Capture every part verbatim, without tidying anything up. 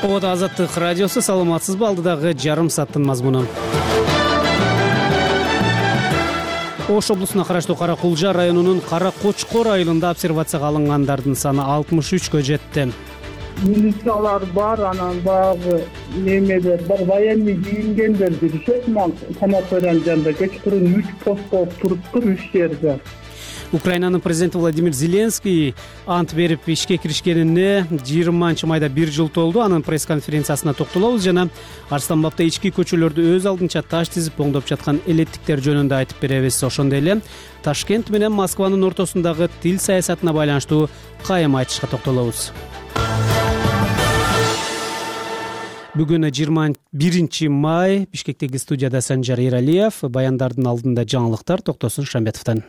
Вот Азаттык радиосу, саламатсызбы? Алдыдагы жарым сааттын мазмуну. Ош облусуна караштуу Кара Кулжа районунун Кара Кочкор айылында обсервацияга алынгандардын саны алтымыш үчкө жетти. Милициялар бар, анан баягы немелер бар, военный кийингендер жүрүшөт. Ман санаториянын жанында кечкурун үч пост болуп туруптур, үч жерде. Украинанын президенти Владимир Зеленский ант берип ишке киришкенине жыйырманчы майда бир жыл толду. Анын пресс-конференциясына токтолобуз жана Арстан бабта ички көчөлөрдү өз алдынча таш тизип оңдоп жаткан элеттиктер жөнүндө айтып беребиз. Ошондой эле Ташкент менен Москванын ортосундагы тил саясатына байланыштуу кайым айтышка токтолобуз. Бүгүн жыйырма биринчи май. Бишкектеги студияда Санжар Эралиев. Баяндардын алдында жаңылыктар Токтосун Шамбетовдон.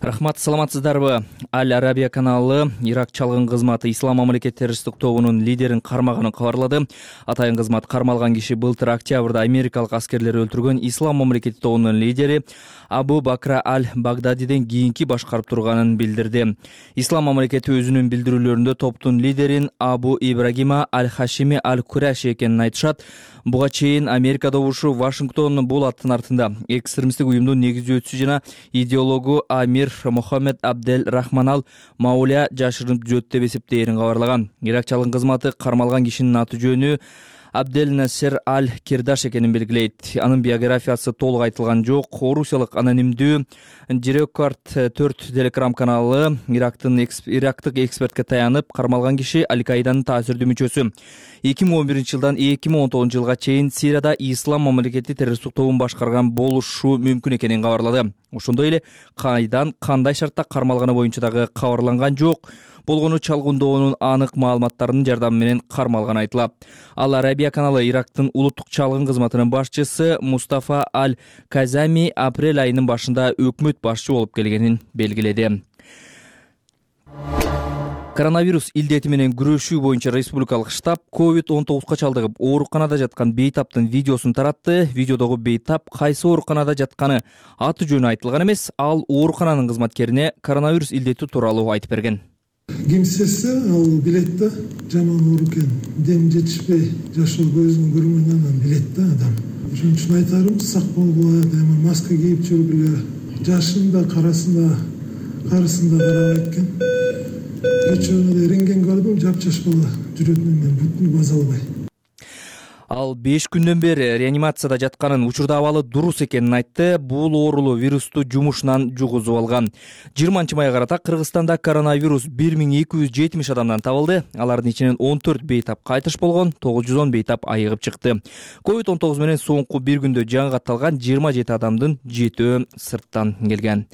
Рахмат, саламатсыздарбы? Аль Арабия каналы Ирак чалгын кызматы Ислам мамлекет террористтик тобунун лидерин кармаганын кабарлады. Атайын кызмат кармалган киши былтыр октябрда америкалык аскерлер өлтүргөн Ислам мамлекети тобунун лидери Абу Бакра аль-Багдадиден кийинки башкарып турганын билдирди. Ислам мамлекети өзүнүн билдирүүлөрүндө топтун лидерин Абу Ибрагима аль-Хашими аль-Кураши экенин айтышат. Буга чейин Америка добушу Вашингтон бул аттын артында экстремисттик уюмдун негиздөөчүсү жана идеологу Амир Мохаммед Абдель Рахман аль-Мауля жашырынып жүрөт деп эсептээрин кабарлаган. Ирак чалгын кызматы кармалган кишинин аты жөнү Абдель Насер аль-Кирдаш экенин белгилейт. Анын биографиясы толук айтылган жок. Орусиялык анонимдүү Жирекорд төрт телекрам каналы Ирактын Ирактык экспертке таянып, кармалган киши Аль-Каиданын таасирдүү мүчөсү. эки миң он биринчи жылдан эки миң он тогузунчу жылга чейин Сирияда Ислам мамлекети террористтик тобун башкарган болушу мүмкүн экенин кабарлады. Ошондой эле кайдан, кандай шартта кармалганы боюнча дагы кабарланган жок. Болгону чалгындоонун анык маалыматтарынын жардамы менен кармалганы айтылат. Аль Арабия каналы Ирактын улуттук чалгын кызматынын башчысы Мустафа аль-Казами апрель айынын башында өкмөт башчы болуп келгенин белгиледи. Коронавирус илдети менен күрөшүү боюнча республикалык штаб ковид он тогузга чалдыгып ооруканада жаткан бейтаптын видеосун таратты. Видеодогу бейтап кайсы ооруканада жатканы аты жөнү айтылган эмес, ал оорукананын кызматкерине коронавирус илдети тууралуу айтып берген. Кимсесе ал билет да, жаман оорук экен, дем жетишпей жашоо көзүн көрмөгөнүн билет да адам. Ошон үчүн айтарым, сак болгула, маска кийип жүргүлө, жашын да, карасын да, карысын да карабайт экен. Кечээ рентген көрдүм, жапжаш бала жүрөтүнөн мен бүтүн база албай. Ал беш күндөн бери реанимацияда жатканын, учурда абалы дурус экенин айтты. Бул оорулуу вирусту жумушунан жугузуп алган. жыйырманчы майга карата Кыргызстанда коронавирус бир миң эки жүз жетимиш адамдан табылды. Алардын ичинен он төрт бейтап кайтыш болгон, тогуз жүз он бейтап айыгып чыкты. ковид он тогуз менен соңку бир күндө жан катталган жыйырма жети адамдын жетөө сырттан келген.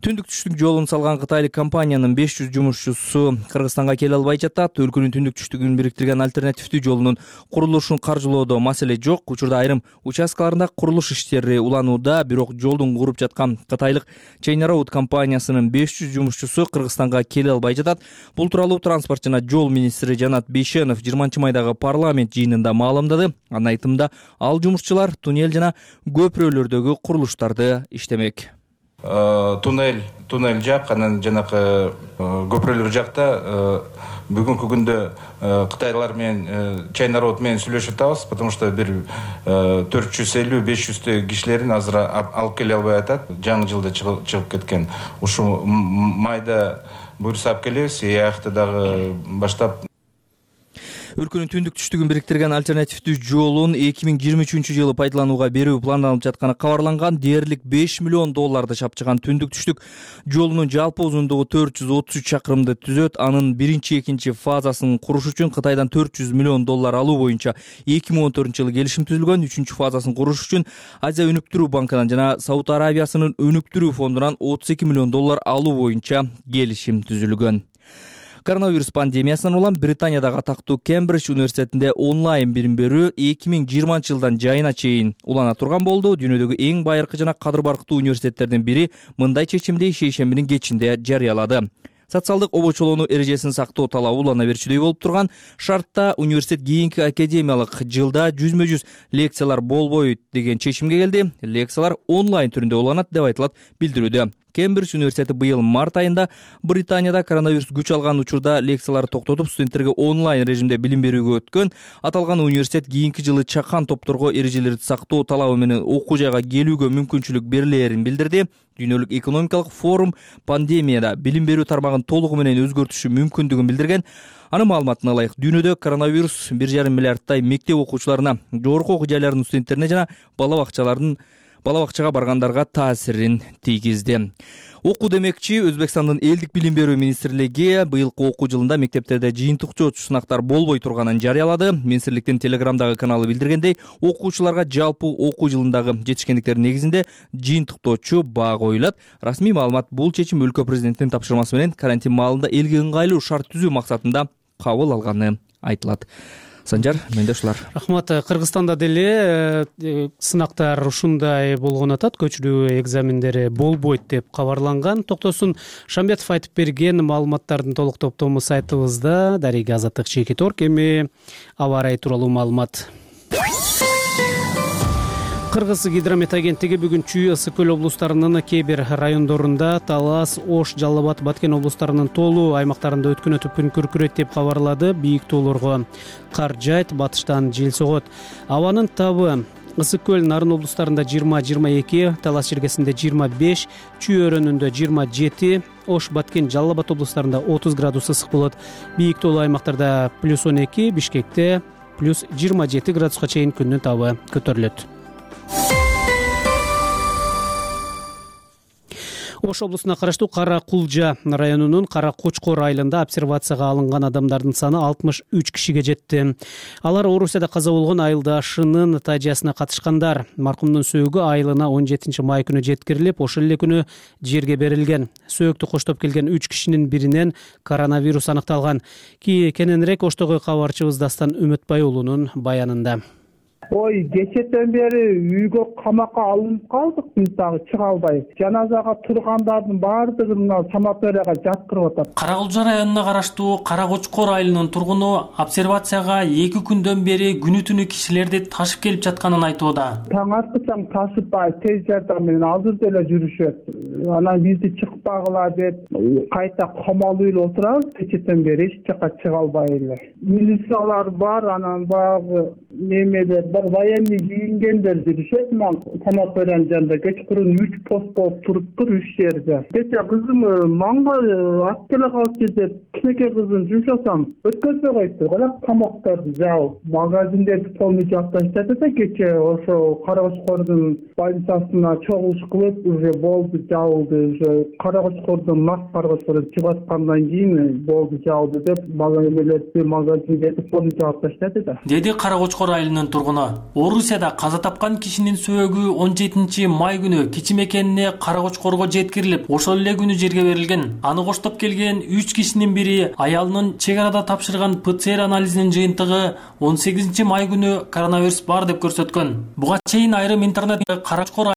Түндүк түштүк жолун салган кытайлык компаниянын беш жүз жумушчусу Кыргызстанга келе албай жатат. Өлкөнүн түндүк түштүгүн бириктирген альтернативдүү жолунун курулушун каржылоодо маселе жок. Учурда айрым участкаларында курулуш иштери уланууда, бирок жолдун куруп жаткан кытайлык Chain Road компаниясынын беш жүз жумушчусу Кыргызстанга келе албай жатат. Бул тууралуу транспорт жана жол министри Жанат Бейшенов жыйырманчы майдагы парламент жыйынында маалымдады. Анын айтымында, ал жумушчулар туннель жана көпүрөлөрдөгү курулуштарды иштемек. Туннель, туннель жак, анан жанакы көпүрөлөр жакта бүгүнкү күндө кытайлар менен Chain Road менен сүйлөшүп атабыз, потому что бир төрт жүз элүү беш жүздөй кишилерин азыр алып келе албай атат. Жаңы жылда чыгып кеткен. Ушу майда буйруса алып келебиз, аякта дагы баштап. Өлкөнүн түндүк түштүгүн бириктирген альтернативдүү жолун эки миң жыйырма үчүнчү жылы пайдаланууга берүү планданып жатканы кабарланган. Дээрлик беш миллион долларды чапчыган түндүк түштүк жолунун жалпы узундугу төрт жүз отуз үч чакырымды түзөт. Анын биринчи, экинчи фазасын куруш үчүн Кытайдан төрт жүз миллион доллар алуу боюнча эки миң он төртүнчү жылы келишим түзүлгөн. Үчүнчү фазасын куруш үчүн Азия өнүктүрүү банкынан жана Сауд Арабиясынын өнүктүрүү фондунан отуз эки миллион доллар алуу боюнча келишим түзүлгөн. Коронавирус пандемиясынан улам Британиядагы атактуу Кембридж университетинде онлайн билим берүү эки миң жыйырманчы жылдан жайына чейин улана турган болду. Дүйнөдөгү эң байыркы жана кадыр барктуу университеттердин бири мындай чечимди шейшембинин кечинде жарыялады. Социалдык обочолоону эрежесин сактоо талабы улана берчүдөй болуп турган шартта университет кийинки академиялык жылда жүзмө жүз лекциялар болбойт деген чечимге келди. Лекциялар онлайн түрүндө уланат деп айтылат билдирүүдө. Кембридж университети быйыл март айында Британияда коронавирус күч алган учурда лекцияларды токтотуп, студенттерге онлайн режимде билим берүүгө өткөн. Аталган университет кийинки жылы чакан топторго эрежелерди сактоо талабы менен окуу жайга келүүгө мүмкүнчүлүк берилээрин билдирди. Дүйнөлүк экономикалык форум пандемияда билим берүү тармагын толугу менен өзгөртүшү мүмкүндүгүн билдирген. Анын маалыматына ылайык, дүйнөдө коронавирус бир жарым миллиардтай мектеп окуучуларына, жогорку окуу жайларынын студенттерине жана бала бакчалардын бала бакчага баргандарга таасирин тийгизди. Окуу демекчи, Өзбекстандын элдик билим берүү министрлиги быйылкы окуу жылында мектептерде жыйынтыктоочу сынактар болбой турганын жарыялады. Министрликтин Телеграмдагы каналы билдиргендей, окуучуларга жалпы окуу жылындагы жетишкендиктердин негизинде жыйынтыктоочу баа коюлат. Расмий маалымат бул чечим өлкө президентинин тапшырмасы менен карантин маалында элге ыңгайлуу шарт түзүү максатында кабыл алганы айтылат. Санжар, менде ушулар. Рахмат. Кыргызстанда деле сынактар ушундай болгон атат, көчүрүү экзамендери болбойт деп кабарланган. Токтосун Шамбетов айтып берген маалыматтардын толук топтому сайтыбызда. Дарига Азаттык Чекиторг. Эми аба ырайы тууралуу маалымат. Кыргыз гидромет агенттиги бүгүн Чүй, Ысык көл облустарынын кээ бир райондорунда, Талас, Ош, Жалал Абад, Баткен облустарынын тоолуу аймактарында өткүнөтүп күн күркүрөйт деп кабарлады. Бийик тоолорго кар жайт, батыштан жел согот. Абанын табы Ысык көл, Нарын облустарында жыйырма жыйырма эки, Талас жергесинде жыйырма беш, Чүй өрөөнүндө жыйырма жети, Ош, Баткен, Жалал Абад облустарында отуз градус ысык болот. Бийик тоолуу аймактарда плюс он эки, Бишкекте плюс жыйырма жети градуска чейин күндүн табы көтөрүлөт. Ош облусуна караштуу Кара Кулжа районунун Кара Кочкор айылында обсервацияга алынган адамдардын саны алтымыш үч кишиге жетти. Алар Орусияда каза болгон айылдашынын тажиясына катышкандар. Маркумдун сөөгү айылына он жетинчи май күнү жеткирилип, ошол эле күнү жерге берилген. Сөөктү коштоп келген үч кишинин биринен коронавирус аныкталган. Кененирээк Оштогу кабарчыбыз Дастан Үмөтбай уулунун баянында. Ой, кечеден бери үйгө камакка алынып калдык, биз дагы чыга албайбыз. Жаназага тургандардын баардыгын санаторияга жаткырып атат. Кара Кулжа районуна караштуу Кара Кочкор айылынын тургуну обсервацияга эки күндөн бери күнү түнү кишилерди ташып келип жатканын айтууда. Таң аткычаң ташыбай тез жардам менен азыр деле жүрүшөт. Анан бизди чыкпагыла деп кайта камалып эле отурабыз. Кечеден бери эч жака чыга албай эле. Милициялар бар, анан баягы немелер бар, военный кийингендер жүрүшөт. Санаториянын жанында кечкурун үч пост болуп туруптур үч жерде. Кече кызым манга ат келе калчу деп кичинекей кызын жумшасам өткөзбөй коюпту. Калак камактарды жаап, магазиндерди полный жаап таштады да кече ошо Кара Кочкордун больницасына чогулуш кылып уже болду, жабылды. Уже Кара Кочкордун нак Кара Кочкордон чыгып аткандан кийин болду, жабылды деп магазиндерди магазиндерди полный жаап таштады да. Деди Кара Кочкор айылынын тургуну. Орусияда каза тапкан кишинин сөөгү он жетинчи май күнү кичи мекенине Кара Кочкорго жеткирилип, ошол эле күнү жерге берилген. Аны коштоп келген үч кишинин бири аялынын чек арада тапшырган ПЦР анализинин жыйынтыгы он сегизинчи май күнү коронавирус бар деп көрсөткөн. Буга чейин айрым интернет Кара Кочкор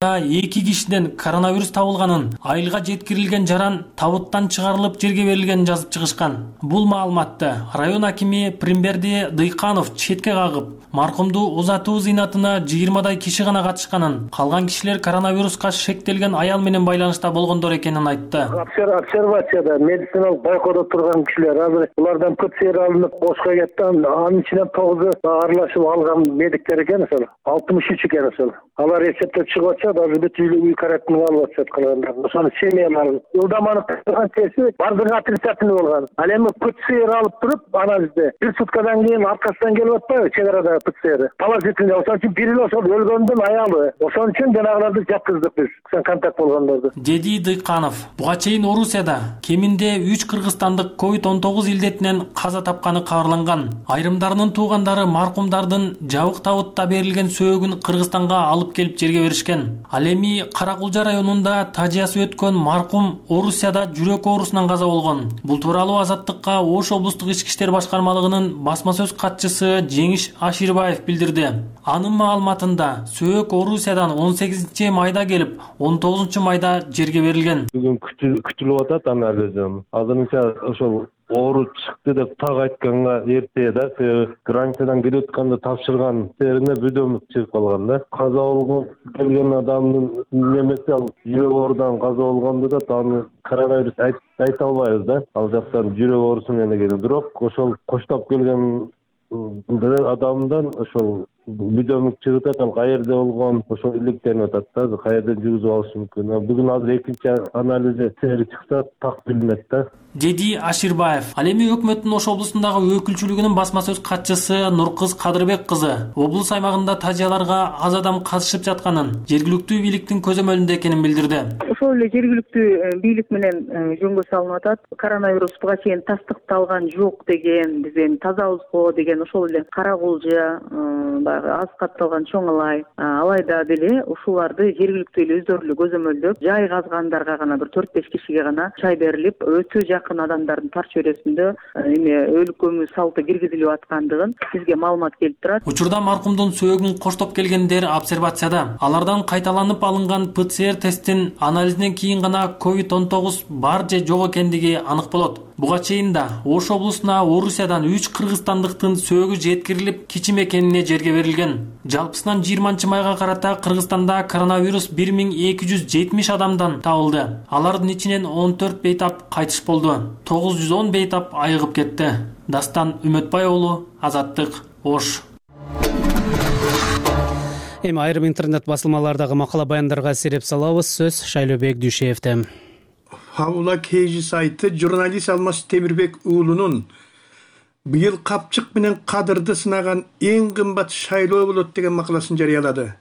эки кишиден коронавирус табылганын, айылга жеткирилген жаран табыттан чыгарылып жерге берилгенин жазып чыгышкан. Бул маалыматты район акими Примберди Дыйканов четке кагып, маркумду узатуу зыйнатына жыйырмадай киши гана катышканын, калган кишилер коронавируска шектелген аял менен байланышта болгондор экенин айтты. Обсервацияда медициналык байкоодо турган кишилер азыр булардан ПЦР алынып Ошко кетти, анын ичинен тогузу аралашып алган медиктер экен, ошол алтымыш үч экен ошол. Алар эсептеп чыгып атышат, азыр бүт үй карантинге алып атышат калгандар. Ошонун семьялары ылдаманы турган чеси бардыгы отрицательный болгон. Ал эми ПЦР алып туруп, анализде бир суткадан кийин аркасынан келип атпайбы чек арада ПЦР. Положительный, ошон үчүн бири эле ошол өлгөндүн аялы. Ошон үчүн жанагыларды жаткыздык биз, контакт болгондорду. Деди Дыйканов. Буга чейин Орусияда кеминде үч кыргызстандык ковид он тогуз илдетинен каза тапканы кабарланган. Айрымдарынын туугандары маркумдардын жабык табытта берилген сөөгүн Кыргызстанга алып келип жерге беришкен. Ал эми Кара Кулжа районунда тажиясы өткөн маркум Орусияда жүрөк оорусунан каза болгон. Бул тууралуу Азаттыкка Ош облустук ички иштер башкармалыгынын басма сөз катчысы Жеңиш Аширбаев билдирди. Анын маалыматында сөөк Орусиядан он сегизинчи майда келип, он тогузунчу майда жерге берилген. Бүгүн күтүлүп атат анализим. Азырынча ошол оору чыкты деп так айтканга эрте да, границадан кирип атканда тапшырган жерине бүдөмүк чыгып калган да. Каза болгон келген адамдын немеси ал жүрөк оорудан каза болгонду да, аны коронавирус айта албайбыз да. Ал жактан жүрөк оорусу менен келген. Бирок ошол коштоп келген адамдан ошол бүдөмүк чыгып атат, ал каерде болгон ошол иликтенип атат да, каерден жүргүзүп алышы мүмкүн. Бүгүн азыр экинчи анализи сери чыкса так билинет да, деди Аширбаев. Ал эми өкмөттүн Ош облусундагы өкүлчүлүгүнүн басма сөз катчысы Нуркыз Кадырбек кызы облус аймагында тажыяларга аз адам катышып жатканын, жергиликтүү бийликтин көзөмөлүндө экенин билдирди. Ошол эле жергиликтүү бийлик менен жөнгө салынып атат. Коронавирус буга чейин тастыкталган жок деген, биз эми тазабызго деген ошол эле карагулжа, аз катталган чоң алай, алайда деле ушуларды жергиликтүү эле өздөрү эле көзөмөлдөп, жай казгандарга гана бир төрт беш кишиге гана чай берилип, өтө жакын адамдардын тар чөйрөсүндө эме өлүк көмүү салты киргизилип аткандыгын бизге маалымат келип турат. Учурда маркумдун сөөгүн коштоп келгендер обсервацияда. Алардан кайталанып алынган ПЦР тесттин анализинен кийин гана ковид он тогуз бар же жок экендиги анык болот. Буга чейин да Ош облусуна Орусиядан үч кыргызстандыктын сөөгү жеткирилип, кичи мекенине жерге берилген. Жалпысынан жыйырманчы майга карата Кыргызстанда коронавирус бир миң эки жүз жетимиш адамдан табылды. Алардын ичинен он төрт бейтап кайтыш болду. тогуз жүз он бейтап айыгып кетти. Дастан Үмөтбай уулу, Азаттык, Ош. Эми айрым интернет басылмалардагы макала баяндарга сереп салабыз. Сөз Шайлообек Дүйшеевде. Хавла Кейжи сайты журналист Алмаз Темирбек уулунун быйыл капчык менен кадырды сынаган эң кымбат шайлоо болот деген макаласын жарыялады.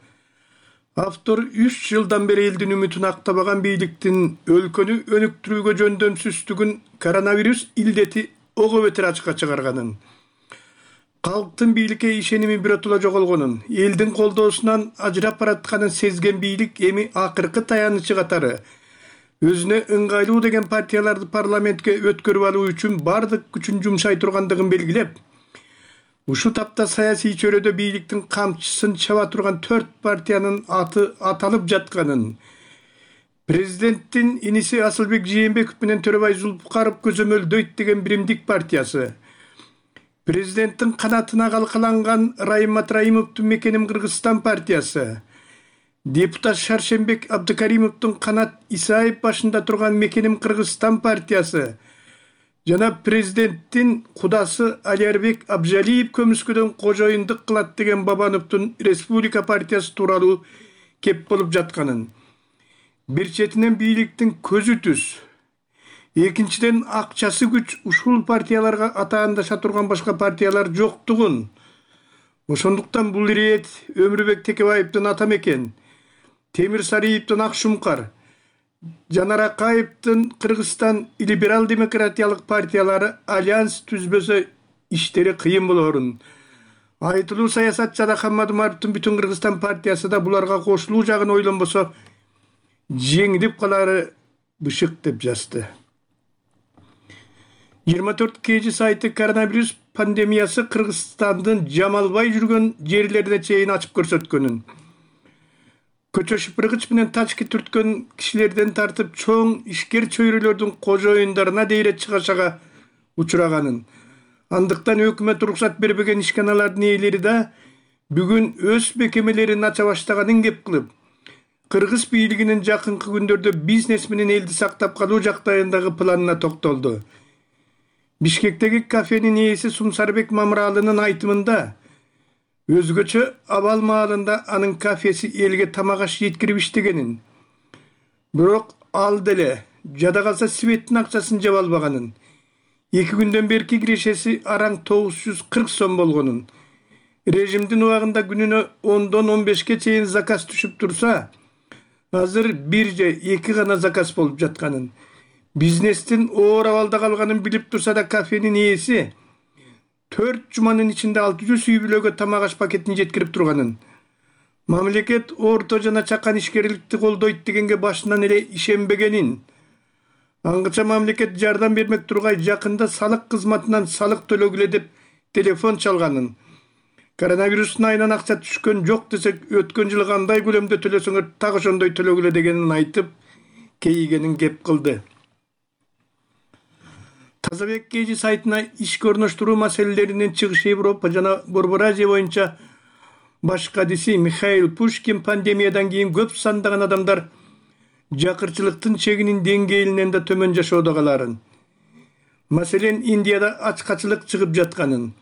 Автор үч жылдан бери элдин үмүтүн актабаган бийликтин өлкөнү өнүктүрүүгө жөндөмсүздүгүн коронавирус илдети ого бетер ачыкка чыгарганын, калктын бийликке ишеними биротула жоголгонун, элдин колдоосунан ажырап баратканын сезген бийлик эми акыркы таянычы катары өзүнө ыңгайлуу деген партияларды парламентке өткөрүп алуу үчүн бардык күчүн жумшай тургандыгын белгилеп, ушу тапта саясий чөйрөдө бийликтин камчысын чаба турган төрт партиянын аты аталып жатканын, президенттин иниси Асылбек Жээнбеков менен Төрөбай Зулпукаров көзөмөлдөйт деген Биримдик партиясы, президенттин канатына калкаланган Райым Матраимовдун Мекеним Кыргызстан партиясы, депутат Шаршембек Абдыкаримовдун канат Исаев башында турган Мекеним Кыргызстан партиясы жана президенттин кудасы Алиярбек Абжалиев көмүскөдөн кожоюндук кылат деген Бабановдун Республика партиясы тууралуу кеп болуп жатканын, бир четинен бийликтин көзү түз, экинчиден акчасы күч ушул партияларга атаандаша турган башка партиялар жоктугун, ошондуктан бул ирет Өмүрбек Текебаевдин Ата Мекен, Темир Сариевдин Ак Шумкар, Жанар Акаевдин Кыргызстан либерал демократиялык партиялары альянс түзбөсө иштери кыйын болорун. Айтылуу саясатчы Хаммат Умаровдун Бүтүн Кыргызстан партиясы да буларга кошулуу жагын ойлонбосо жеңилип калары бышык деп жазды. жыйырма төрт кж сайты коронавирус пандемиясы Кыргызстандын жамалбай жүргөн жерлерине чейин ачып көрсөткөнүн, көчө шыпыргыч менен тачки түрткөн кишилерден тартып чоң ишкер чөйрөлөрдүн кожоюндарына дейре чыгашага учураганын, андыктан өкмөт уруксат бербеген ишканалардын ээлери да бүгүн өз мекемелерин ача баштаганын кеп кылып, Кыргыз бийлигинин жакынкы күндөрдө бизнес менен элди сактап калуу жактайындагы планына токтолду. Бишкектеги кафенин ээси Сумсарбек Мамыралынын айтымында өзгөчө абал маалында анын кафеси элге тамак аш жеткирип иштегенин, бирок ал деле жада калса светтин акчасын жаба албаганын, эки күндөн берки кирешеси араң тогуз жүз кырк сом болгонун, режимдин убагында күнүнө ондон он бешке чейин заказ түшүп турса, азыр бир же эки гана заказ болуп жатканын, бизнестин оор абалда калганын билип турса да кафенин ээси төрт жуманын ичинде алты жүз үй бүлөгө тамак аш пакетин жеткирип турганын, мамлекет орто жана чакан ишкерликти колдойт дегенге башынан эле ишенбегенин, аңгыча мамлекет жардам бермек тургай жакында салык кызматынан салык төлөгүлө деп телефон чалганын, коронавирустун айынан акча түшкөн жок десек, өткөн жылы кандай көлөмдө төлөсөңөр так ошондой төлөгүлө дегенин айтып, кейигенин кеп кылды. Тазабек Кежи сайтына ишке орноштуруу маселелеринин чыгыш Европа жана Борбор Азия боюнча баш кадиси Михаил Пушкин пандемиядан кийин көп сандаган адамдар жакырчылыктын чегинин деңгээлинен да төмөн жашоодо каларын. Маселен, Индияда ачкачылык чыгып жатканын,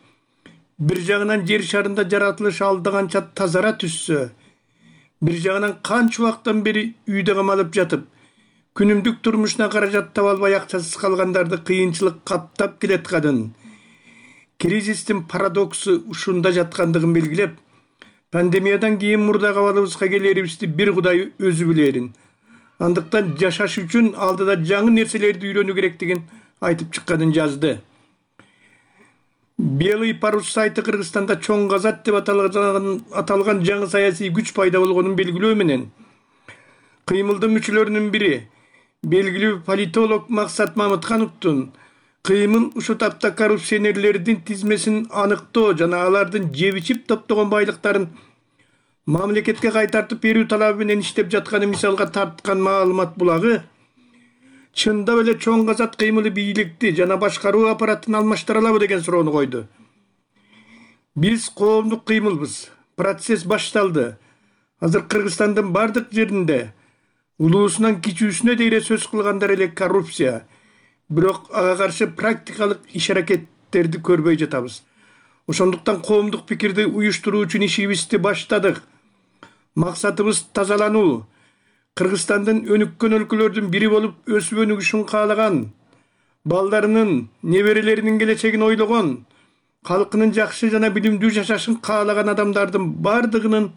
бир жагынан жер шарында жаратылыш алдаганча тазара түшсө, бир жагынан канча убакыттан бери үйдө камалып жатып, күнүмдүк турмушуна каражат таба албай акчасыз калгандарды кыйынчылык каптап келатканын, кризистин парадоксу ушунда жаткандыгын белгилеп, пандемиядан кийин мурдагы абалыбызга келерибизди бир Кудай өзү билерин. Андыктан жашаш үчүн алдыда жаңы нерселерди үйрөнүү керектигин айтып чыкканын жазды. Белый парус сайты Кыргызстанда чоң казат деп аталган, аталган жаңы саясий күч пайда болгонун белгилөө менен кыймылдын мүчөлөрүнүн бири белгилүү политолог Максат Мамыткановдун кыймыл ушул тапта коррупционерлердин тизмесин аныктоо жана алардын жеп ичип топтогон байлыктарын мамлекетке кайтартып берүү талабы менен иштеп жатканы мисалга тарткан маалымат булагы чындап эле чоң казат кыймылы бийликти жана башкаруу аппаратын алмаштыра алабы деген суроону койду. Биз коомдук кыймылбыз. Процесс башталды. Азыр Кыргызстандын бардык жеринде улуусунан кичүүсүнө дейре сөз кылгандар эле коррупция. Бирок ага каршы практикалык иш-аракеттерди көрбөй жатабыз. Ошондуктан коомдук пикирди уюштуруу үчүн ишибизди баштадык. Максатыбыз тазалануу. Кыргызстандын өнүккөн өлкөлөрдүн бири болуп өсүп өнүгүшүн каалаган, балдарынын, неберелеринин келечегин ойлогон, калкынын жакшы жана билимдүү жашашын каалаган адамдардын бардыгынын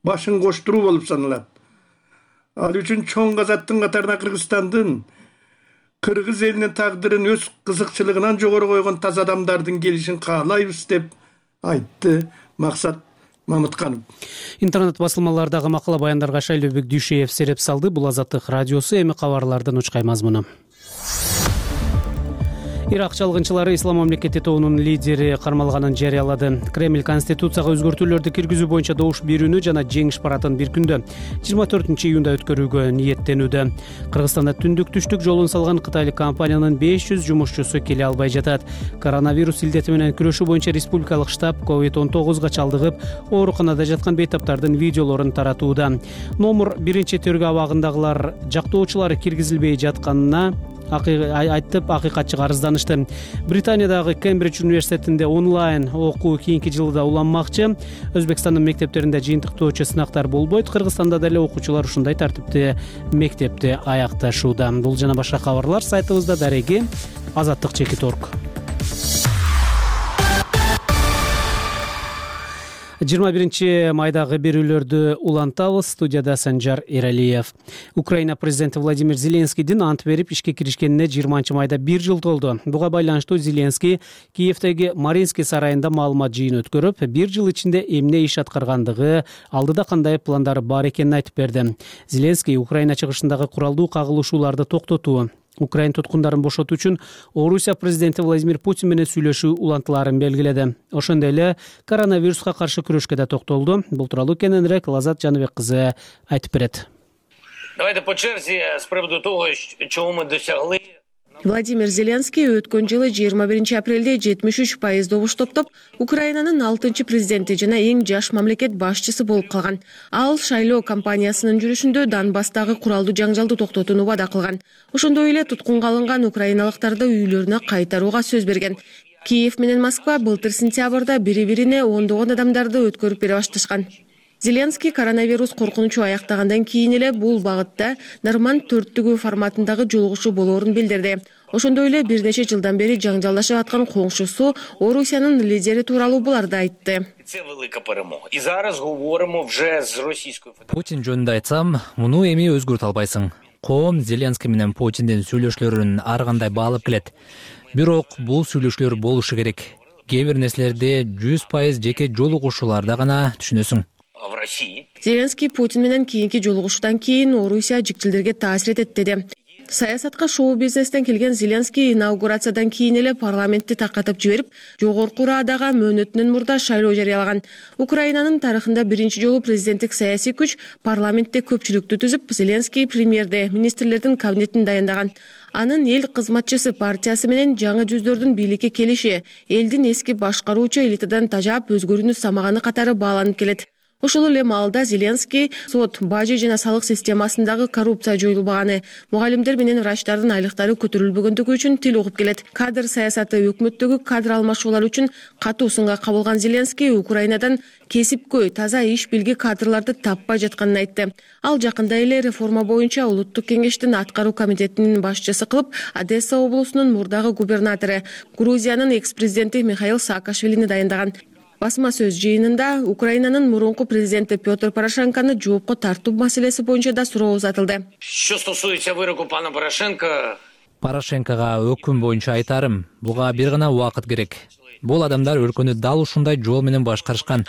башын коштуруу болуп саналат. Ал үчүн чоң казаттын катарына Кыргызстандын, кыргыз элинин тагдырын өз кызыкчылыгынан жогору койгон таза адамдардын келишин каалайбыз деп айтты Максат Мамытканов. Интернет басылмалардагы макала баяндарга Шайлообек Дүйшеев сереп салды. Бул Азаттык радиосу, эми кабарлардын учкай мазмуну. Ирак чалгынчылары Ислам мамлекети тобунун лидери кармалганын жарыялады. Кремль конституцияга өзгөртүүлөрдү киргизүү боюнча добуш берүүнү жана жеңиш парадын бир күндө жыйырма төртүнчү июнда өткөрүүгө ниеттенүүдө. Кыргызстанда түндүк түштүк жолун салган кытайлык компаниянын беш жүз жумушчусу келе албай жатат. Коронавирус илдети менен күрөшүү боюнча республикалык штаб ковид он тогузга чалдыгып, ооруканада жаткан бейтаптардын видеолорун таратууда. Номер биринчи тергөө абагындагылар жактоочулар киргизилбей жатканына айтып акыйкатчыга арызданышты. Британиядагы Кембридж университетинде онлайн окуу кийинки жылда уланмакчы. Өзбекстандын мектептеринде жыйынтыктоочу сынактар болбойт. Кыргызстанда деле окуучулар ушундай тартипте мектепти аякташууда. Бул жана башка кабарлар сайтыбызда дареги азаттык чекит точка орг. жыйырма биринчи майдагы берүүлөрдү улантабыз. Студияда Санжар Эралиев. Украина президенти Владимир Зеленскийдин ант берип ишке киришкенине жыйырманчы майда бир жыл толду. Буга байланыштуу Зеленский Киевдеги Маринский сарайында маалымат жыйын өткөрүп, бир жыл ичинде эмне иш аткаргандыгы, алдыда кандай пландары бар экенин айтып берди. Зеленский Украина чыгышындагы куралдуу кагылышууларды токтотуу, Украина туткундарын бошотуу үчүн Орусия президенти Владимир Путин менен сүйлөшүү улантыларын белгиледи. Ошондой эле коронавируска каршы күрөшкө да токтолду. Бул тууралуу кененирээк Лазат Жаныбек кызы айтып берет. Давайте по черзи с приводу того, чего мы досягли. Владимир Зеленский өткөн жылы жыйырма биринчи апрелде жетимиш үч пайыз добуш топтоп, Украинанын алтынчы президенти жана эң жаш мамлекет башчысы болуп калган. Ал шайлоо кампаниясынын жүрүшүндө Донбасстагы куралдуу жаңжалды токтотууну вада кылган. Ошондой эле туткунга алынган украиналыктарды үйлөрүнө кайтарууга сөз берген. Киев менен Москва былтыр сентябрда бири-бирине ондогон адамдарды өткөрүп бере башташкан. Зеленский коронавирус коркунучу аяктагандан кийин эле бул багытта Норманд төрттүгү форматындагы жолугушуу болоорун билдирди. Ошондой эле бир нече жылдан бери жаңжалдашып аткан коңшусу Орусиянын лидери тууралуу буларды айтты. Путин жөнүндө айтсам, муну эми өзгөртө албайсың. Коом Зеленский менен Путиндин сүйлөшүүлөрүн ар кандай баалап келет. Бирок бул сүйлөшүүлөр болушу керек. Кээ бир нерселерди жүз пайыз жеке жолугушууларда гана түшүнөсүң. Зеленский Путин менен кийинки жолугушуудан кийин Орусия жикчилдерге таасир этет деди. Саясатка шоу бизнестен келген Зеленский инаугурациядан кийин эле парламентти таркатып жиберип, жогорку Радага мөөнөтүнөн мурда шайлоо жарыялаган. Украинанын тарыхында биринчи жолу президенттик саясий күч парламентте көпчүлүктү түзүп, Зеленский премьерде министрлердин кабинетин дайындаган. Анын эл кызматчысы партиясы менен жаңы жүздөрдүн бийликке келиши элдин эски башкаруучу элитадан тажап өзгөрүүнү самаганы катары бааланып келет. Ошол эле маалда Зеленский сот, бажы жана салык системасындагы коррупция жоюлбаганы, мугалимдер менен врачтардын айлыктары көтөрүлбөгөндүгү үчүн тил угуп келет. Кадр саясаты өкмөттөгү кадр алмашуулар үчүн катуу сынга кабылган Зеленский Украинадан кесипкөй, таза иш билги кадрларды таппай жатканын айтты. Ал жакында эле реформа боюнча Улуттук кеңештин аткаруу комитетинин башчысы кылып, Одесса облусунун мурдагы губернатору, Грузиянын экс-президенти Михаил Саакашвилини дайындаган. Басма сөз жыйынында Украинанын мурунку президенти Петр Порошенкону жоопко тартуу маселеси боюнча да суроо узатылды. Що стосується вироку пана Порошенка, Порошенкого өкүм боюнча айтарым, буга бир гана убакыт керек. Бул адамдар өлкөнү дал ушундай жол менен башкарышкан.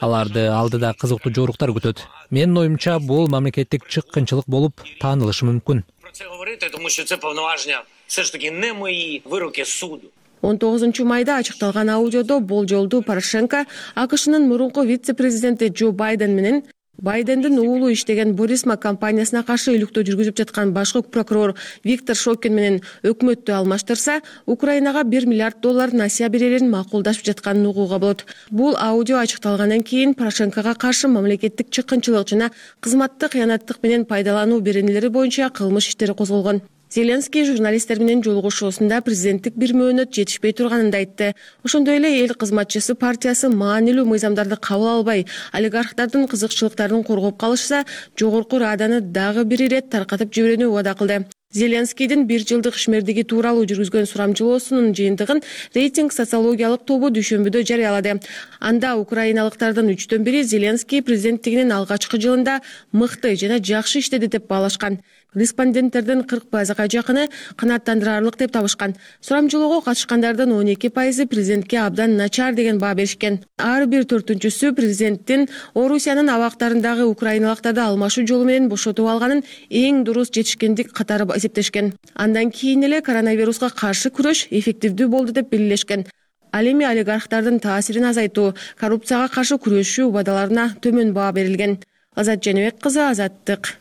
Аларды алдыда кызыктуу жоруктар күтөт. Менин оюмча, бул мамлекеттик чыккынчылык болуп таанылышы мүмкүн. про це говорити, тому що це повноваження все ж таки не мої вироки суду. он тогузунчу майда ачыкталган аудиодо болжолдуу Порошенко АКШнын мурунку вице-президенти Джо Байден менен Байдендин уулу иштеген Борисма компаниясына каршы иликтөө жүргүзүп жаткан башкы прокурор Виктор Шокин менен өкмөттү алмаштырса, Украинага бир миллиард доллар насыя берерин макулдашып жатканын угууга болот. Бул аудио ачыкталгандан кийин Порошенкого каршы мамлекеттик чыккынчылык жана кызматтык кыянаттык менен пайдалануу беренелери боюнча кылмыш иштери козголгон. Зеленский журналисттер менен жолугушуусунда президенттик бир мөөнөт жетишпей турганын да айтты. Ошондой эле эл кызматчысы партиясы маанилүү мыйзамдарды кабыл албай, олигархтардын кызыкчылыктарын коргоп калышса, жогорку Раданы дагы бир ирет таркатып жиберүүнү убада кылды. Зеленскийдин бир жылдык ишмердиги тууралуу жүргүзгөн сурамжылоосунун жыйынтыгын рейтинг социологиялык тобу дүйшөмбүдө жарыялады. Анда украиналыктардын үчтөн бири Зеленский президенттигинин алгачкы жылында мыкты жана жакшы иштеди деп баалашкан. Респонденттердин кырк пайызга жакыны канааттандырарлык деп табышкан. Сурамжылоого катышкандардын он эки пайызы президентке абдан начар деген баа беришкен. Ар бир төртүнчүсү президенттин Орусиянын абактарындагы украиналыктарды алмашуу жолу менен бошотуп алганын эң дурус жетишкендик катары эсептешкен. Андан кийин эле коронавируска каршы күрөш эффективдүү болду деп белгилешкен. Ал эми олигархтардын таасирин азайтуу, коррупцияга каршы күрөшүү убадаларына төмөн баа берилген. Азат Женебек кызы, Азаттык.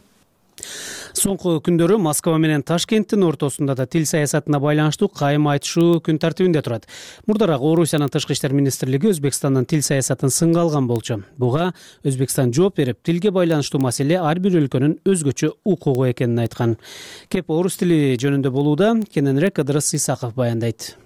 Соңку күндөрү Москва менен Ташкенттин ортосунда да тил саясатына байланыштуу кайым айтышуу күн тартибинде турат. Мурдараак Орусиянын тышкы иштер министрлиги Өзбекстандын тил саясатын сынга алган болчу. Буга Өзбекстан жооп берип, тилге байланыштуу маселе ар бир өлкөнүн өзгөчө укугу экенин айткан. Кеп орус тили жөнүндө болууда, кененирээк Ыдырыс Исаков баяндайт.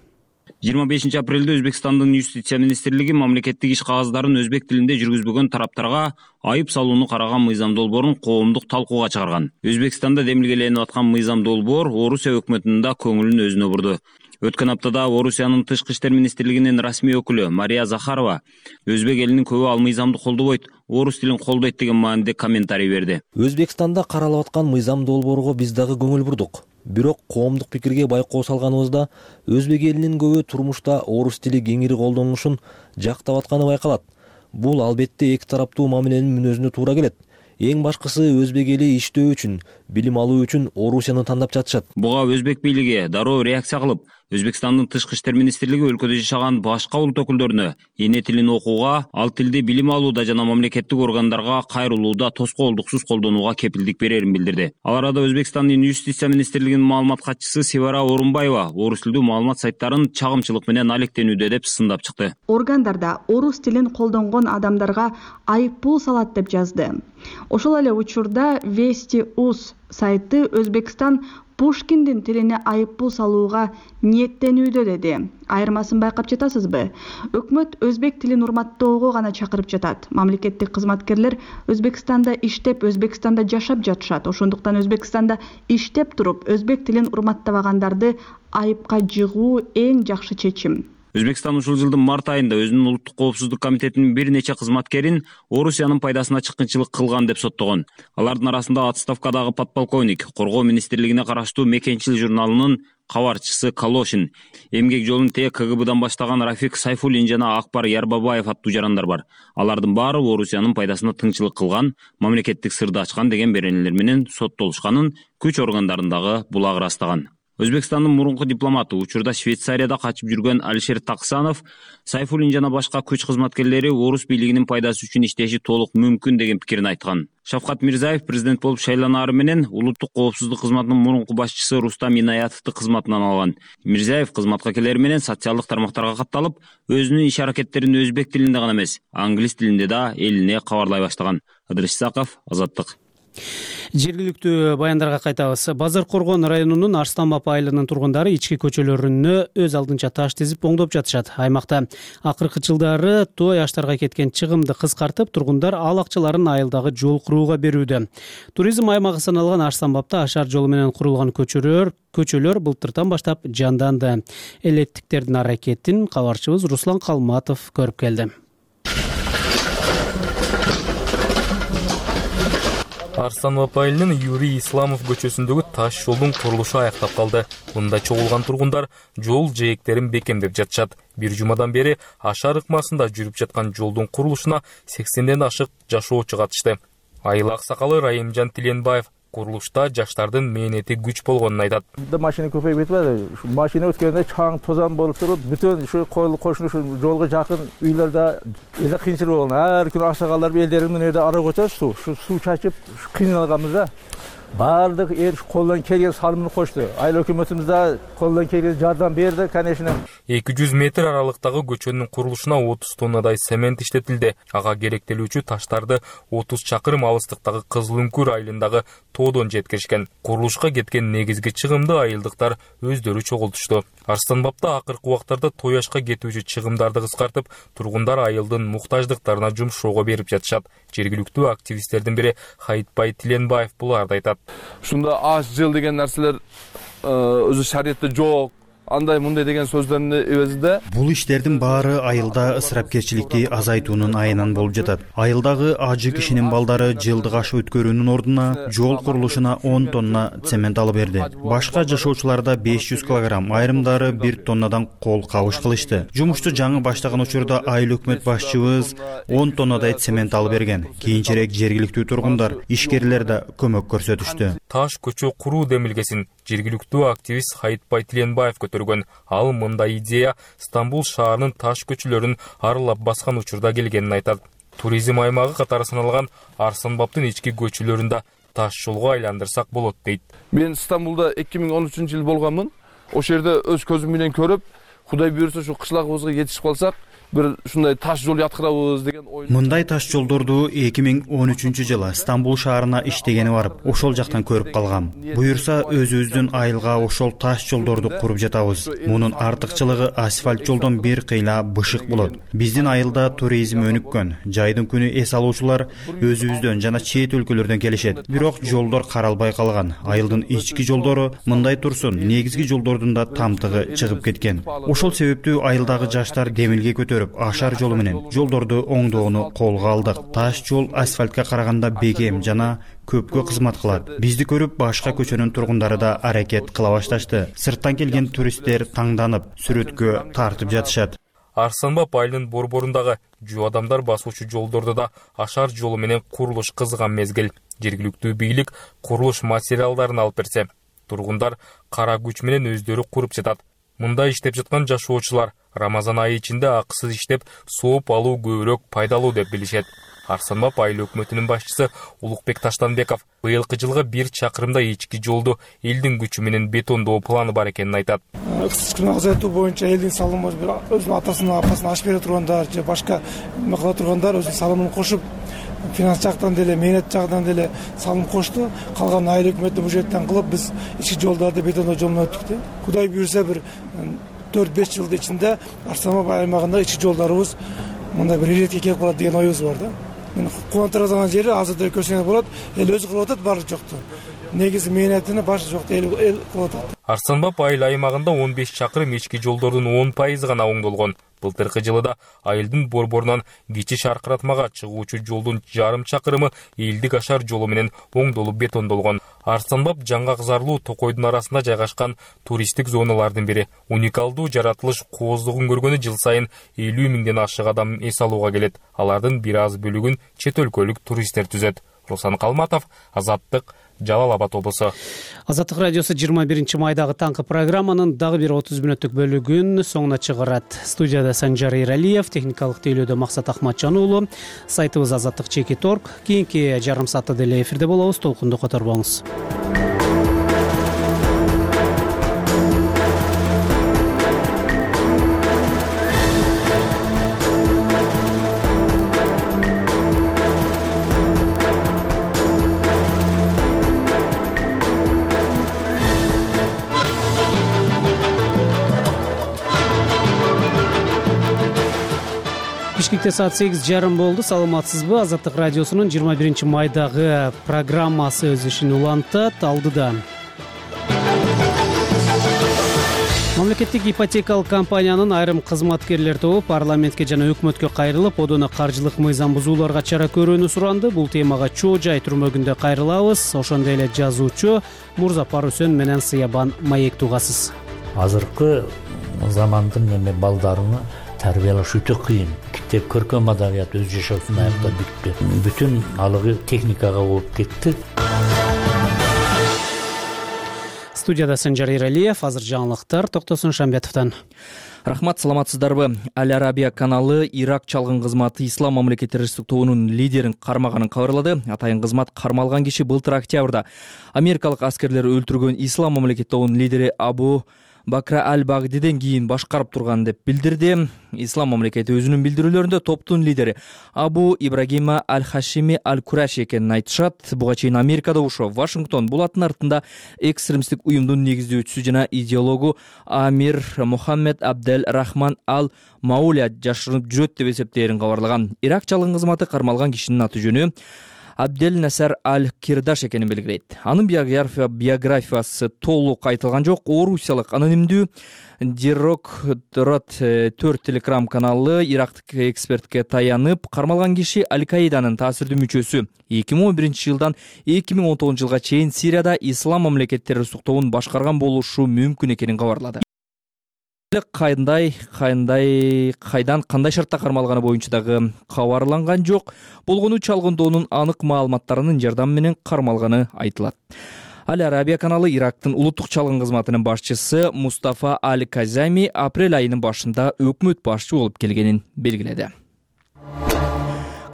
жыйырма бешинчи апрелде Өзбекстандын юстиция министрлиги мамлекеттик иш кагаздарын өзбек тилинде жүргүзбөгөн тараптарга айып салууну караган мыйзам долбоорун коомдук талкууга чыгарган. Өзбекстанда демилгеленип аткан мыйзам долбоор Орусия өкмөтүнүн да көңүлүн өзүнө бурду. Өткөн аптада Орусиянын тышкы иштер министрлигинин расмий өкүлү Мария Захарова өзбек элинин көбү ал мыйзамды колдобойт, орус тилин колдойт деген мааниде комментарий берди. Өзбекстанда каралып аткан мыйзам долбоорго биз дагы көңүл бурдук. Бирок коомдук пикирге байкоо салганыбызда өзбек элинин көбү турмушта орус тили кеңири колдонулушун жактап атканы байкалат. Бул албетте эки тараптуу мамиленин мүнөзүнө туура келет. Эң башкысы өзбек эли иштөө үчүн, билим алуу үчүн Орусияны тандап жатышат. Буга өзбек бийлиги дароо реакция кылып, Өзбекстандын тышкы иштер министрлиги өлкөдө жашаган башка улут өкүлдөрүнө эне тилин окууга, ал тилди билим алууда жана мамлекеттик органдарга кайрылууда тоскоолдуксуз колдонууга кепилдик берерин билдирди. Ал арада Өзбекстандын юстиция министрлигинин маалымат катчысы Севара Орунбаева орус тилдүү маалымат сайттарын чагымчылык менен алектенүүдө деп сындап чыкты. Органдарда орус тилин колдонгон адамдарга айып пул салат деп жазды. Ошол эле учурда Вести.уз сайты Өзбекстан Пушкиндин тилине айып пул салууга ниеттенүүдө деди. Айырмасын байкап жатасызбы? Өкмөт өзбек тилин урматтоого гана чакырып жатат. Мамлекеттик кызматкерлер Өзбекстанда иштеп, Өзбекстанда жашап жатышат. Ошондуктан Өзбекстанда иштеп туруп, өзбек тилин урматтабагандарды айыпка жыгуу эң жакшы чечим. Өзбекстан ушул жылдын март айында өзүнүн улуттук коопсуздук комитетинин бир нече кызматкерин Орусиянын пайдасына чыккынчылык кылган деп соттогон. Алардын арасында отставкадагы подполковник, Коргоо министрлигине караштуу Мекенчил журналынын кабарчысы Калошин, эмгек жолун те КГБдан баштаган Рафик Сайфуллин жана Акбар Ярбабаев аттуу жарандар бар. Алардын баары Орусиянын пайдасына тыңчылык кылган, мамлекеттик сырды ачкан деген беренелер менен соттолушканын күч органдарындагы булагы ырастаган. Өзбекстандын мурунку дипломаты, учурда Швейцарияда качып жүргөн Алишер Таксанов, Сайфуллин жана башка күч кызматкерлери орус бийлигинин пайдасы үчүн иштеши толук мүмкүн деген пикирин айткан. Шавкат Мирзиев президент болуп шайланаары менен улуттук коопсуздук кызматынын мурунку башчысы Рустам Инаятовду кызматынан алган. Мирзиев кызматка келери менен социалдык тармактарга катталып, өзүнүн иш аракеттерин өзбек тилинде гана эмес, англис тилинде да элине кабарлай баштаган. Ыдырыс Исаков, Азаттык. Жергиликтүү баяндарга кайтабыз. Базар Коргон районунун Арстанбап айылынын тургундары ички көчөлөрүнө өз алдынча таш тизип оңдоп жатышат. Аймакта акыркы жылдары той аштарга кеткен чыгымды кыскартып, тургундар ал акчаларын айылдагы жол курууга берүүдө. Туризм аймагы саналган Арстанбапта ашар жолу менен курулган көчөлөр көчөлөр былтыртан баштап жанданды. Элеттиктердин аракетин кабарчыбыз Руслан Калматов көрүп келди. Арстанбап айылынын Юрий Исламов көчөсүндөгү таш жолдун курулушу аяктап калды. Мында чогулган тургундар жол жээктерин бекемдеп жатышат. Бир жумадан бери ашар ыкмасында жүрүп жаткан жолдун курулушуна сексенден ашык жашоочу катышты. Айыл аксакалы Райымжан Тиленбаев курулушта жаштардын мээнети күч болгонун айтат. Машина көпөйүп кетпеди. Машина өткөндө чаң тозан болуп туруп, бүтүн ушу койлук кошуну ушу жолго жакын үйлөрдө эле кыйынчылык болгон. Ар күнү аксакалдар элдеринин жерде ара көчөбүз суу, ушу суу чачып кыйналганбыз да. Бардык эл колдон келген салымын кошту. Айыл өкмөтүбүз да колдон келген жардам берди, конечно. эки жүз метр аралыктагы көчөнүн курулушуна отуз тоннадай цемент иштетилди. Ага керектелүүчү таштарды отуз чакырым алыстыктагы Кызыл Үңкүр айылындагы тоодон жеткиришкен. Курулушка кеткен негизги чыгымды айылдыктар өздөрү чогултушту. Арстанбапта акыркы убактарда той ашка кетүүчү чыгымдарды кыскартып, тургундар айылдын муктаждыктарына жумшоого берип жатышат. Жергиликтүү активисттердин бири Хайытбай Тиленбаев буларды айтат. Ушунда аш жыл деген нерселер өзү шариятта жок. Андай мындай деген сөздөрдүн эбезинде бул иштердин баары айылда ысырапкерчиликти азайтуунун айынан болуп жатат. Айылдагы ажы кишинин балдары жылдык аш өткөрүүнүн ордуна жол курулушуна он тонна цемент алып берди. Башка жашоочуларда беш жүз килограмм, айрымдары бир тоннадан кол кабыш кылышты. Жумушту жаңы баштаган учурда айыл өкмөт башчыбыз он тоннадай цемент алып берген. Кийинчерээк жергиликтүү тургундар, ишкерлер да көмөк көрсөтүштү. Таш көчө куруу демилгесин жергиликтүү активист Хайытбай Тиленбаев көтөргөн. Ал мындай идея Стамбул шаарынын таш көчөлөрүн аралап баскан учурда келгенин айтат. Туризм аймагы катары саналган Арстанбаптын ички көчөлөрүндө таш жолго айландырсак болот дейт. Мен Стамбулда эки миң он үчүнчү жыл болгонмун. Ошол жерде өз көзүм менен көрүп, Кудай буйрса ушу кышлагыбызга жетишип калсак, бир ушундай таш жол яткырабыз деген ой. Мындай таш жолдорду эки миң он үчүнчү жылы Стамбул шаарына иштегени барып, ошол жактан көрүп калгам. Буйрса өзүбүздүн айылга ошол таш жолдорду куруп жатабыз. Мунун артыкчылыгы асфальт жолдон бир кыйла бышык болот. Биздин айылда туризм өнүккөн. Жайдын күнү эс алуучулар өзүбүздөн жана чет өлкөлөрдөн келишет. Бирок жолдор каралбай калган. Айылдын ички жолдору мындай турсун, негизги жолдордун да тамтыгы чыгып кеткен. Ошол себептүү айылдагы жаштар демилге көтөрүп, ашар жолу менен жолдорду оңдоону колго алдык. Таш жол асфальтка караганда бекем жана көпкө кызмат кылат. Бизди көрүп башка көчөнүн тургундары да аракет кыла башташты. Сырттан келген туристтер таңданып, сүрөткө тартып жатышат. Арстанбап айылынын борборундагы жөө адамдар басуучу жолдордо да ашар жолу менен курулуш кызган мезгил. Жергиликтүү бийлик курулуш материалдарын алып берсе, тургундар кара күч менен өздөрү куруп жатат. Мында иштеп жаткан жашоочулар Рамазан айы ичинде акысыз иштеп, сооп алуу көбүрөөк пайдалуу деп билишет. Арстанбап айыл өкмөтүнүн башчысы Улукбек Таштанбеков быйылкы жылга бир чакырымдай ички жолду элдин күчү менен бетондоо планы бар экенин айтат. Ыксычкы азайтуу боюнча элдин салымы өзүнүн атасына, апасына аш бере тургандар же башка эме кыла тургандар өзүнүн салымын кошуп, финанс жактан деле, мээнет жагынан деле салым кошту. Калган айыл өкмөтү бюджеттен кылып, биз ички жолдарды бетондоо жолуна өттүк да. Кудай буйрса бир төрт беш жылдын ичинде Арстанбап аймагында ички жолдорубуз мындай бир иретке келип калат деген оюбуз бар да. Мен кубандырган жери азырда көрсөңөр болот, эл өзү кылып атат, баары жокту. Негизи мээнетини башы жокто эл эл кылып атат. Арстанбап айыл аймагында он беш чакырым ички жолдордун он пайызы гана оңдолгон. Былтыркы жылыда айылдын борборунан кичи шаркыратмага чыгуучу жолдун жарым чакырымы элдик ашар жолу менен оңдолуп бетондолгон. Арстанбап жаңгак зарлуу токойдун арасында жайгашкан туристтик зоналардын бири. Уникалдуу жаратылыш кооздугун көргөнү жыл сайын элүү миңден ашык адам эс алууга келет. Алардын бир аз бөлүгүн чет өлкөлүк туристтер түзөт. Руслан Калматов, Азаттык, Жалал Абад облусу. Азаттык радиосу жыйырма биринчи майдагы таңкы программанын дагы бир отуз мүнөттүк бөлүгүн соңуна чыгарат. Студияда Санжар Эралиев, техникалык тейлөөдө Максат Ахматжан уулу. Сайтыбыз азаттык чеки точка орг. Кийинки жарым саатта деле эфирде болобуз. Толкунду которбоңуз. Бишкекте саат сегиз жарым болду. Саламатсызбы? Азаттык радиосунун жыйырма биринчи майдагы программасы өз ишин улантат. Алдыда мамлекеттик ипотекалык компаниянын айрым кызматкерлер тобу парламентке жана өкмөткө кайрылып, одоно каржылык мыйзам бузууларга чара көрүүнү суранды. Бул темага чоо жай түрмөгүндө кайрылабыз. Ошондой эле жазуучу Мурзапар Үсөн менен Сыябан Маек тугасыз. Азыркы замандын эме балдарыны тарбиялаш өтө кыйын. Китеп көркөм адабият өз жашоосун аяктап бүттү. Бүтүн алыгы техникага болуп кетти. Студияда Санжар Эралиев, азыр жаңылыктар Токтосун Шамбетовдон. Рахмат, саламатсыздарбы? Аль Арабия каналы Ирак чалгын кызматы Ислам мамлекет террористтик тобунун лидерин кармаганын кабарлады. Атайын кызмат кармалган киши былтыр октябрда америкалык аскерлер өлтүргөн Ислам мамлекет тобунун лидери Абу Бакра аль-Багдиден кийин башкарып турган деп билдирди. Ислам мамлекети өзүнүн билдирүүлөрүндө топтун лидери Абу Ибрагима аль-Хашими аль-Кураши экенин айтышат. Буга чейин Америкада ошо Вашингтон бул аттын артында экстремисттик уюмдун негиздөөчүсү жана идеологу Амир Мухаммед Абдел Рахман аль-Мауля жашырынып жүрөт деп эсептээрин кабарлаган. Ирак чалгын кызматы кармалган кишинин аты жөнү Абдель Насар аль-Кирдаш экенин белгилейт. Анын биография биографиясы толук айтылган жок. Орусиялык анонимдүү Дирокторат төрт телеграм каналы ирактык экспертке таянып, кармалган киши Аль-Каиданын таасирдүү мүчөсү. эки миң он биринчи жылдан эки миң он тогузунчу жылга чейин Сирияда Ислам мамлекет террористтик тобун башкарган болушу мүмкүн экенин кабарлады. Кандай, кандай, кайдан, кандай шартта кармалганы боюнча дагы кабарланган жок. Болгону чалгындоонун анык маалыматтарынын жардамы менен кармалганы айтылат. Аль Арабия каналы Ирактын улуттук чалгын кызматынын башчысы Мустафа аль-Казами апрель айынын башында өкмөт башчы болуп келгенин белгиледи.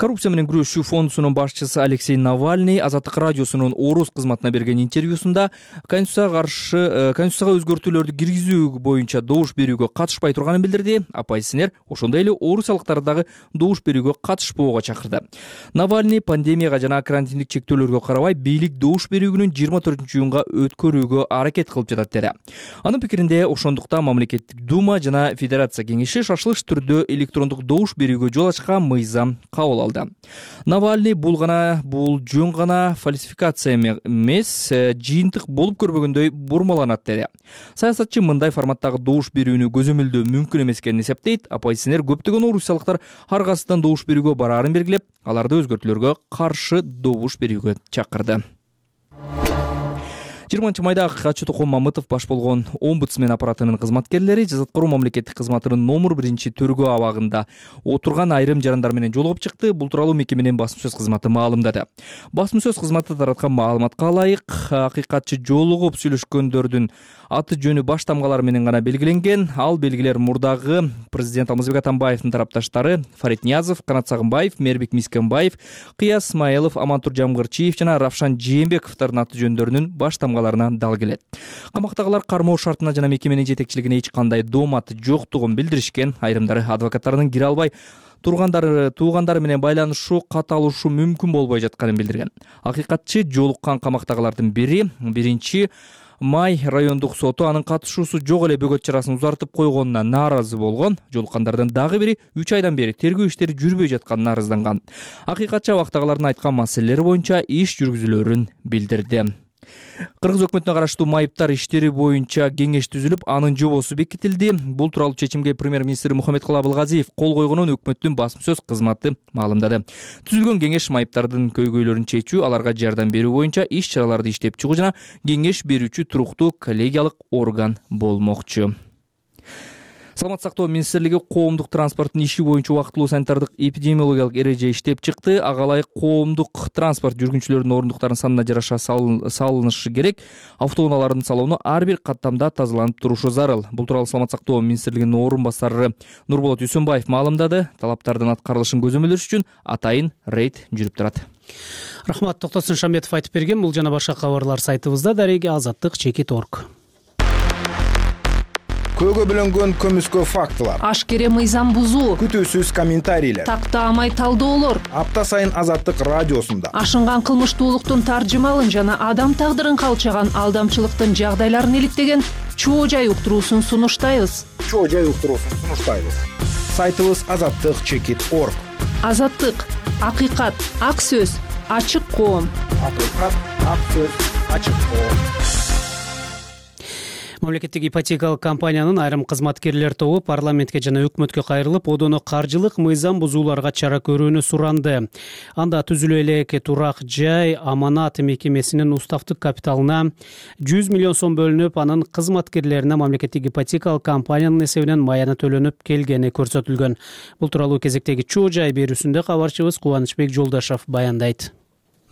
Коррупция менен күрөшүү фондусунун башчысы Алексей Навальный Азаттык радиосунун орус кызматына берген интервьюсунда конституцияга каршы конституцияга өзгөртүүлөрдү киргизүү боюнча добуш берүүгө катышпай турганын билдирди. Оппозиционер ошондой эле орусиялыктарды дагы добуш берүүгө катышпоого чакырды. Навальный пандемияга жана карантиндик чектөөлөргө карабай бийлик добуш берүү күнүн жыйырма төртүнчү июнга өткөрүүгө аракет кылып жатат деди. Анын пикиринде ошондукта мамлекеттик дума жана федерация кеңеши шашылыш түрдө электрондук добуш берүүгө жол ачкан мыйзам кабыл алды. Навальный бул гана бул жөн гана фальсификация эмес, жыйынтык болуп көрбөгөндөй бурмаланат деди. Саясатчы мындай форматтагы добуш берүүнү көзөмөлдөө мүмкүн эмес экенин эсептейт. Оппозиционер көптөгөн орусиялыктар ар кайсыдан добуш берүүгө бараарын белгилеп, аларды өзгөртүүлөргө каршы добуш берүүгө чакырды. жыйырманчы майда акыйкатчы Токон Мамытов баш болгон омбудсмен аппаратынын кызматкерлери жазаткаруу мамлекеттик кызматынын номер биринчи төргөө абагында отурган айрым жарандар менен жолугуп чыкты. Бул тууралуу мекеменин басма сөз кызматы маалымдады. Басма сөз кызматы тараткан маалыматка ылайык, акыйкатчы жолугуп сүйлөшкөндөрдүн аты жөнү баш тамгалары менен гана белгиленген. Ал белгилер мурдагы президент Алмазбек Атамбаевдин тарапташтары Фарид Ниязов, Канат Сагынбаев, Мээрбек Мискенбаев, Кыяз Исмаилов, Амантур Жамгырчиев жана Равшан Жээнбековдордун аты жөндөрүнүн баш тамгалары дал келет. Камактагылар кармоо шартына жана мекеменин жетекчилигине эч кандай дооматы жоктугун билдиришкен. Айрымдары адвокаттарынын кире албай тургандары туугандары менен байланышуу каталышуу мүмкүн болбой жатканын билдирген. Акыйкатчы жолуккан камактагылардын бири биринчи май райондук соту анын катышуусу жок эле бөгөт чарасын узартып койгонуна нааразы болгон. Жолуккандардын дагы бири үч айдан бери тергөө иштери жүрбөй жатканына арызданган. Акыйкатчы абактагылардын айткан маселелери боюнча иш жүргүзүлөрүн билдирди. Кыргыз өкмөтүнө караштуу майыптар иштери боюнча кеңеш түзүлүп, анын жобосу бекитилди. Бул тууралуу чечимге премьер-министр Мухаммедкулы Абылгазиев кол койгонун өкмөттүн басма сөз кызматы маалымдады. Түзүлгөн кеңеш майыптардын көйгөйлөрүн чечүү, аларга жардам берүү боюнча иш-чараларды иштеп чыгуу жана кеңеш берүүчү туруктуу коллегиялык орган болмокчу. Саламаттык сактоо министрлиги коомдук транспорттун иши боюнча убактылуу санитардык эпидемиологиялык эреже иштеп чыкты. Ага ылайык коомдук транспорт жүргүнчүлөрүнүн ордуктарынын санына жараша салынышы керек. Автоунаалардын салону ар бир каттамда тазаланып турушу зарыл. Бул тууралуу Саламаттык сактоо министрлигинин орун басары Нурболот Үсөнбаев маалымдады. Талаптардын аткарылышын көзөмөлдөш үчүн атайын рейд жүрүп турат. Рахмат, Токтосун Шамбетов айтып берген. Бул жана башка кабарлар сайтыбызда. Дареги азаттык чекит точка орг. Көөгө бөлөнгөн көмүскө фактылар, ашкере мыйзам бузуу, күтүүсүз комментарийлер, тактаамай талдоолор, апта сайын Азаттык радиосунда ашынган кылмыштуулуктун таржымалын жана адам тагдырын калчаган алдамчылыктын жагдайларын иликтеген чоо жай уктуруусун сунуштайбыз. Чоо жай уктуруусун сунуштайбыз. Сайтыбыз азаттык чекит точка орг. Азаттык, акыйкат, ак сөз, ачык коом. Акыйкат, ак сөз, ачык коом. Мамлекеттик ипотекалык компаниянын айрым кызматкерлер тобу парламентке жана өкмөткө кайрылып, одоно каржылык мыйзам бузууларга чара көрүүнү суранды. Анда түзүлө элек турак жай аманат мекемесинин уставдык капиталына жүз миллион сом бөлүнүп, анын кызматкерлерине мамлекеттик ипотекалык компаниянын эсебинен маяна төлөнүп келгени көрсөтүлгөн. Бул тууралуу кезектеги чоо жай берүүсүндө кабарчыбыз Кубанычбек Жолдашев баяндайт.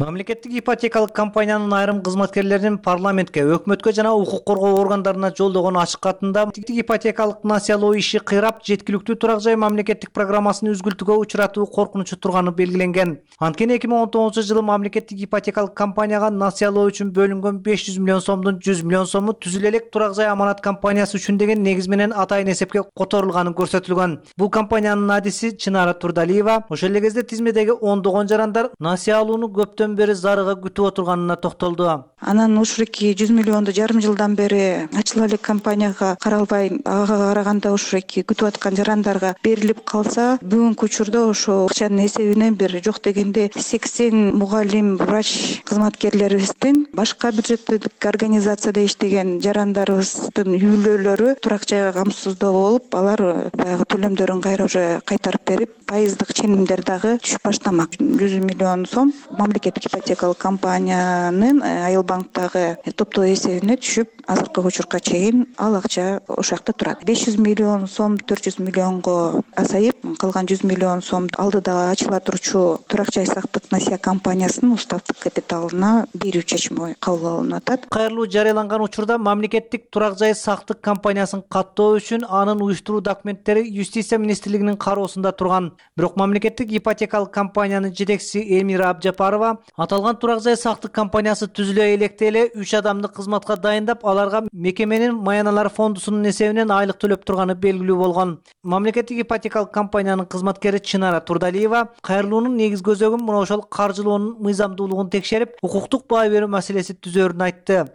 Мамлекеттик ипотекалык компаниянын айрым кызматкерлеринин парламентке, өкмөткө жана укук коргоо органдарына жолдогон ачык катында ипотекалык насыялоо иши кыйрап, жеткиликтүү турак жай мамлекеттик программасын үзгүлтүүгө учуратуу коркунучу турганы белгиленген. Анткени эки миң он тогузунчу жылы мамлекеттик ипотекалык компанияга насыялоо үчүн бөлүнгөн беш жүз миллион сомдун жүз миллион сому түзүлө элек турак жай аманат компаниясы үчүн деген негиз менен атайын эсепке которулганы көрсөтүлгөн. Бул компаниянын адиси Чынара Турдалиева ошол эле кезде тизмедеги ондогон жарандар насыялоону көптөн бери зарыга күтүп отурганына токтолду. Анан ушуреки жүз миллионду жарым жылдан бери ачыла элек компанияга каралбай, ага караганда ушуреки күтүп аткан жарандарга берилип калса, бүгүнкү учурда ошо акчанын эсебинен бир жок дегенде сексен мугалим, врач кызматкерлерибиздин башка бюджеттик организацияда иштеген жарандарыбыздын үйлөлөрү турак жайга камсыздоо болуп, алар баягы төлөмдөрүн кайра уже кайтарып берип, пайыздык ченемдер дагы түшүп баштамак. жүз миллион сом мамлекеттик ипотекалык компаниянын Айыл банктагы топтоо эсебине түшүп, азыркы учурга чейин ал акча ошол жакта турат. беш жүз миллион сом төрт жүз миллионго азайып, калган жүз миллион сом алдыдагы ачыла турчу турак жай сактык насыя компаниясынын уставдык капиталына берүү чечими кабыл алынып атат. Кайрылуу жарыяланган учурда мамлекеттик турак жай сактык компаниясын каттоо үчүн анын уюштуруу документтери Юстиция министрлигинин кароосунда турган. Бирок мамлекеттик ипотекалык компаниянын жетекчиси Элмира Абжапарова аталган турак жай сактык компаниясы түзүлө электе эле үч адамды кызматка дайындап, аларга мекеменин маяналар фондусунун эсебинен айлык төлөп турганы белгилүү болгон. Мамлекеттик ипотекалык компаниянын кызматкери Чынара Турдалиева кайрылуунун негиз көзөгүн мына ошол каржылоонун мыйзамдуулугун текшерип, укуктук баа берүү маселеси түзөөрүн айтты.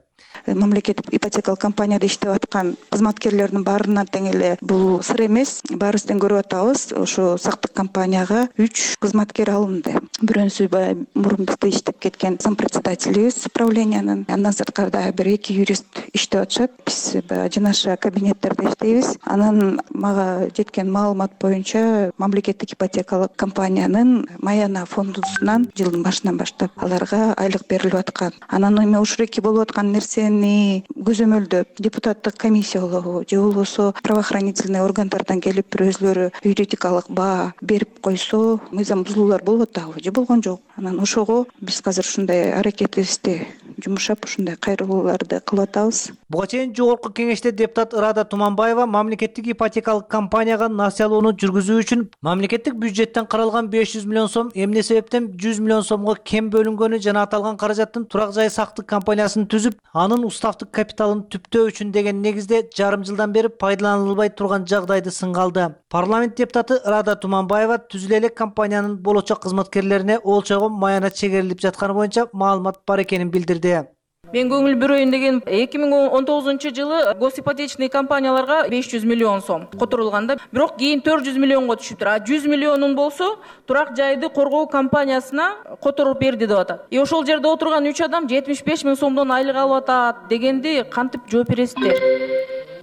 Мамлекеттик ипотекалык компанияда иштеп аткан кызматкерлердин баарына тең эле бул сыр эмес. Баарыбыздын көрүп атабыз, ошо сактык компанияга үч кызматкер алынды. Бирөөсү баягы мурун бизде иштеп кеткен зампредседателибиз правлениянын, андан сырткары бир эки юрист иштеп атышат. Биз баягы жанаша кабинеттерде иштейбиз. Анан мага жеткен маалымат боюнча мамлекеттик ипотекалык компаниянын Маяна фондусунан жылдын башынан баштап аларга айлык берилип аткан. Анан эми ушуреки болуп аткан нерсени көзөмөлдөп депутаттык комиссиялоо же болбосо правоохранительный органдардан келип бир өзлөрү юридикалык баа берип койсо, мыйзам бузуулар болуп атабы же болгон жок. Анан ошого биз азыр ушундай аракетибизди жумшап, ушундай кайрылууларды кылып атабыз. Буга чейин жогорку кеңеште депутат Ырада Туманбаева мамлекеттик ипотекалык компанияга насыялоону жүргүзүү үчүн мамлекеттик бюджеттен каралган беш жүз миллион сом эмне себептен жүз миллион сомго кем бөлүнгөнү жана аталган каражаттын турак жай сактык компаниясын түзүп, анын уставдык капиталын түптөө үчүн деген негизде жарым жылдан бери пайдаланылбай турган жагдайды сынга алды. Парламент депутаты Ырада Туманбаева түзүлө элек компаниянын болочок кызматкерлерине олчого маяна чегерилип жатканы боюнча маалымат бар экенин билдирди. Мен көңүл бурөйүн деген эки миң он тогузунчу жылы госипотечный компанияларга беш жүз миллион сом которулганда, бирок кийин төрт жүз миллионго түшүптүр. А жүз миллионун болсо турак жайды коргоо компаниясына которуп берди деп атат. И ошол жерде отурган үч адам жетимиш беш миң сомдон айлык алып атат дегенди кантип жооп бересиздер?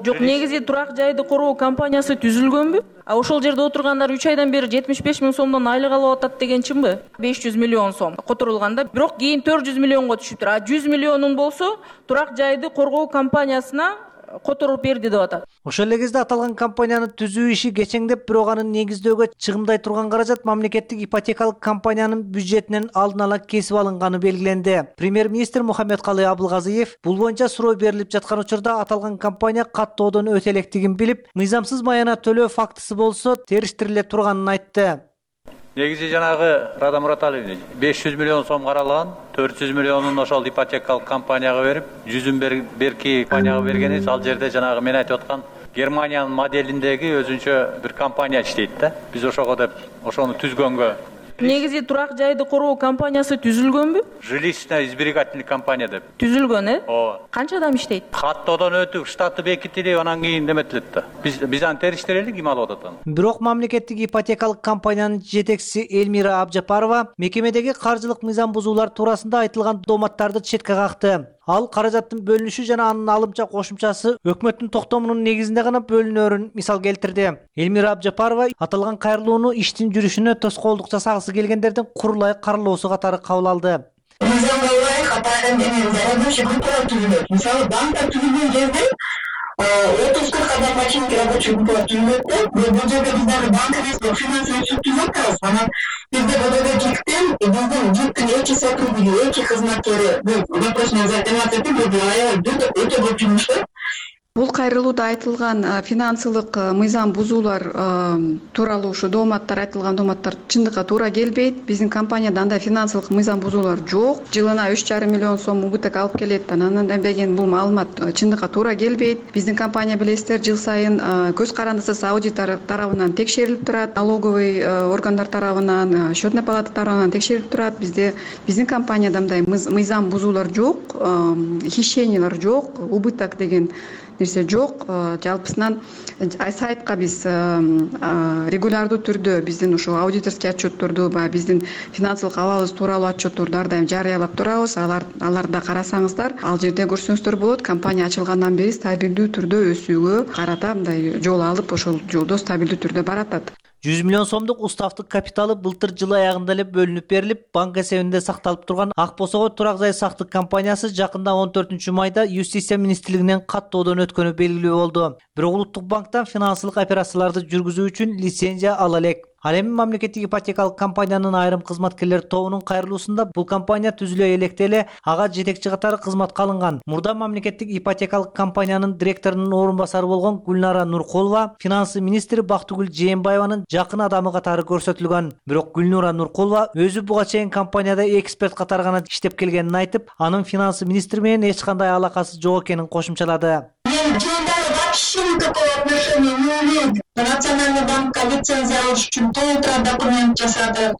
Жок, негизи турак жайды коргоо компаниясы түзүлгөнбү? А ошол жерде отургандар үч айдан бери жетимиш беш миң сомдон айлык алып атат деген чынбы? беш жүз миллион сом которулганда, бирок кийин төрт жүз миллионго түшүптүр. А жүз миллионун болсо турак жайды коргоо компаниясына которуп берди деп атат. Ошол эле кезде аталган компанияны түзүү иши кечеңдеп, бирок аны негиздөөгө чыгымдай турган каражат мамлекеттик ипотекалык компаниянын бюджетинен алдын ала кесип алынганы белгиленди. Премьер-министр Мухаммедкалый Абылгазиев бул боюнча суроо берилип жаткан учурда аталган компания каттоодон өтө электигин билип, мыйзамсыз маяна төлөө фактысы болсо териштириле турганын айтты. Негизи жанагы Рада Мураталиевна беш жүз миллион сом каралган, төрт жүз миллионун ошол ипотекалык компанияга берип, жүзүн берки компанияга бергенибиз. Ал жерде жанагы мен айтып аткан Германиянын моделиндеги өзүнчө бир компания иштейт да. Биз ошого деп ошону түзгөнгө. Негизи турак жайды коргоо компаниясы түзүлгөнбү? Жилищно-избирательный компания деп. Түзүлгөн, э? Ооба. Канча адам иштейт? Каттоодон өтүп, штаты бекитилип, анан кийин неметилет да. Биз биз аны териштирели ким алып атат аны. Бирок мамлекеттик ипотекалык компаниянын жетекчиси Элмира Абжапарова мекемедеги каржылык мыйзам бузуулар туурасында айтылган дооматтарды четке какты. Ал каражаттын бөлүнүшү жана анын алымча кошумчасы өкмөттүн токтомунун негизинде гана бөлүнөрүн мисал келтирди. Элмира Абжапарова аталган кайрылууну иштин жүрүшүнө тоскоолдук жасагысы келгендердин курулай каралоосу катары кабыл алды. Мыйзамга ылайык атайын деген зарабочий группалар түзүлөт. Мисалы банктар түзүлгөн жерде отуз кырк адамга чейин рабочий группалар түзүлөт да. Бул жерде биз дагы банк эмес, финансовый суд түзүп атабыз. Анан бизде БДГ-тиктен биздин ЖИКтин эки сотрудниги, эки кызматкери бул вопросун заниматься этип, бул өтө көп жумуш да. Бул кайрылууда айтылган финансылык мыйзам бузуулар тууралуу ушу дооматтар айтылган дооматтар чындыкка туура келбейт. Биздин компанияда андай финансылык мыйзам бузуулар жок. Жылына үч жарым миллион сом убыток алып келет. Анан деген бул маалымат чындыкка туура келбейт. Биздин компания билесиздер, жыл сайын көз карандысыз аудитор тарабынан текшерилип турат. Налоговый органдар тарабынан, счетный палата тарабынан текшерилип турат. Бизде биздин компанияда мындай мыйзам бузуулар жок, хищениялар жок, убыток деген нерсе жок. Жалпысынан сайтка биз регулярдуу түрдө биздин ушул аудиторский отчетторду, баягы биздин финансылык абалыбыз тууралуу отчетторду ар дайым жарыялап турабыз. Алар аларда карасаңыздар, ал жерде көрсөңүздөр болот. Компания ачылгандан бери стабилдүү түрдө өсүүгө карата мындай жол алып, ошол жолдо стабилдүү түрдө баратат. жүз миллион сомдук уставдык капиталы былтыр жыл аягында эле бөлүнүп берилип, банк эсебинде сакталып турган Ак Босого турак жай сактык компаниясы жакында он төртүнчү майда Юстиция министрлигинен каттоодон өткөнү белгилүү болду. Бирок Улуттук банктан финансылык операцияларды жүргүзүү үчүн лицензия ала элек. Ал эми мамлекеттик ипотекалык компаниянын айрым кызматкерлер тобунун кайрылуусунда бул компания түзүлө электе эле ага жетекчи катары кызматка алынган. Мурда мамлекеттик ипотекалык компаниянын директорунун орун басары болгон Гүлнара Нуркулова финансы министри Бактыгүл Жээнбаеванын жакын адамы катары көрсөтүлгөн. Бирок Гүлнара Нуркулова өзү буга чейин компанияда эксперт катары гана иштеп келгенин айтып, анын финансы министри менен эч кандай алакасы жок экенин кошумчалады. Вообще никакого отношения не имеет. Национальный банк лицензия алыш үчүн толтура документ жасады.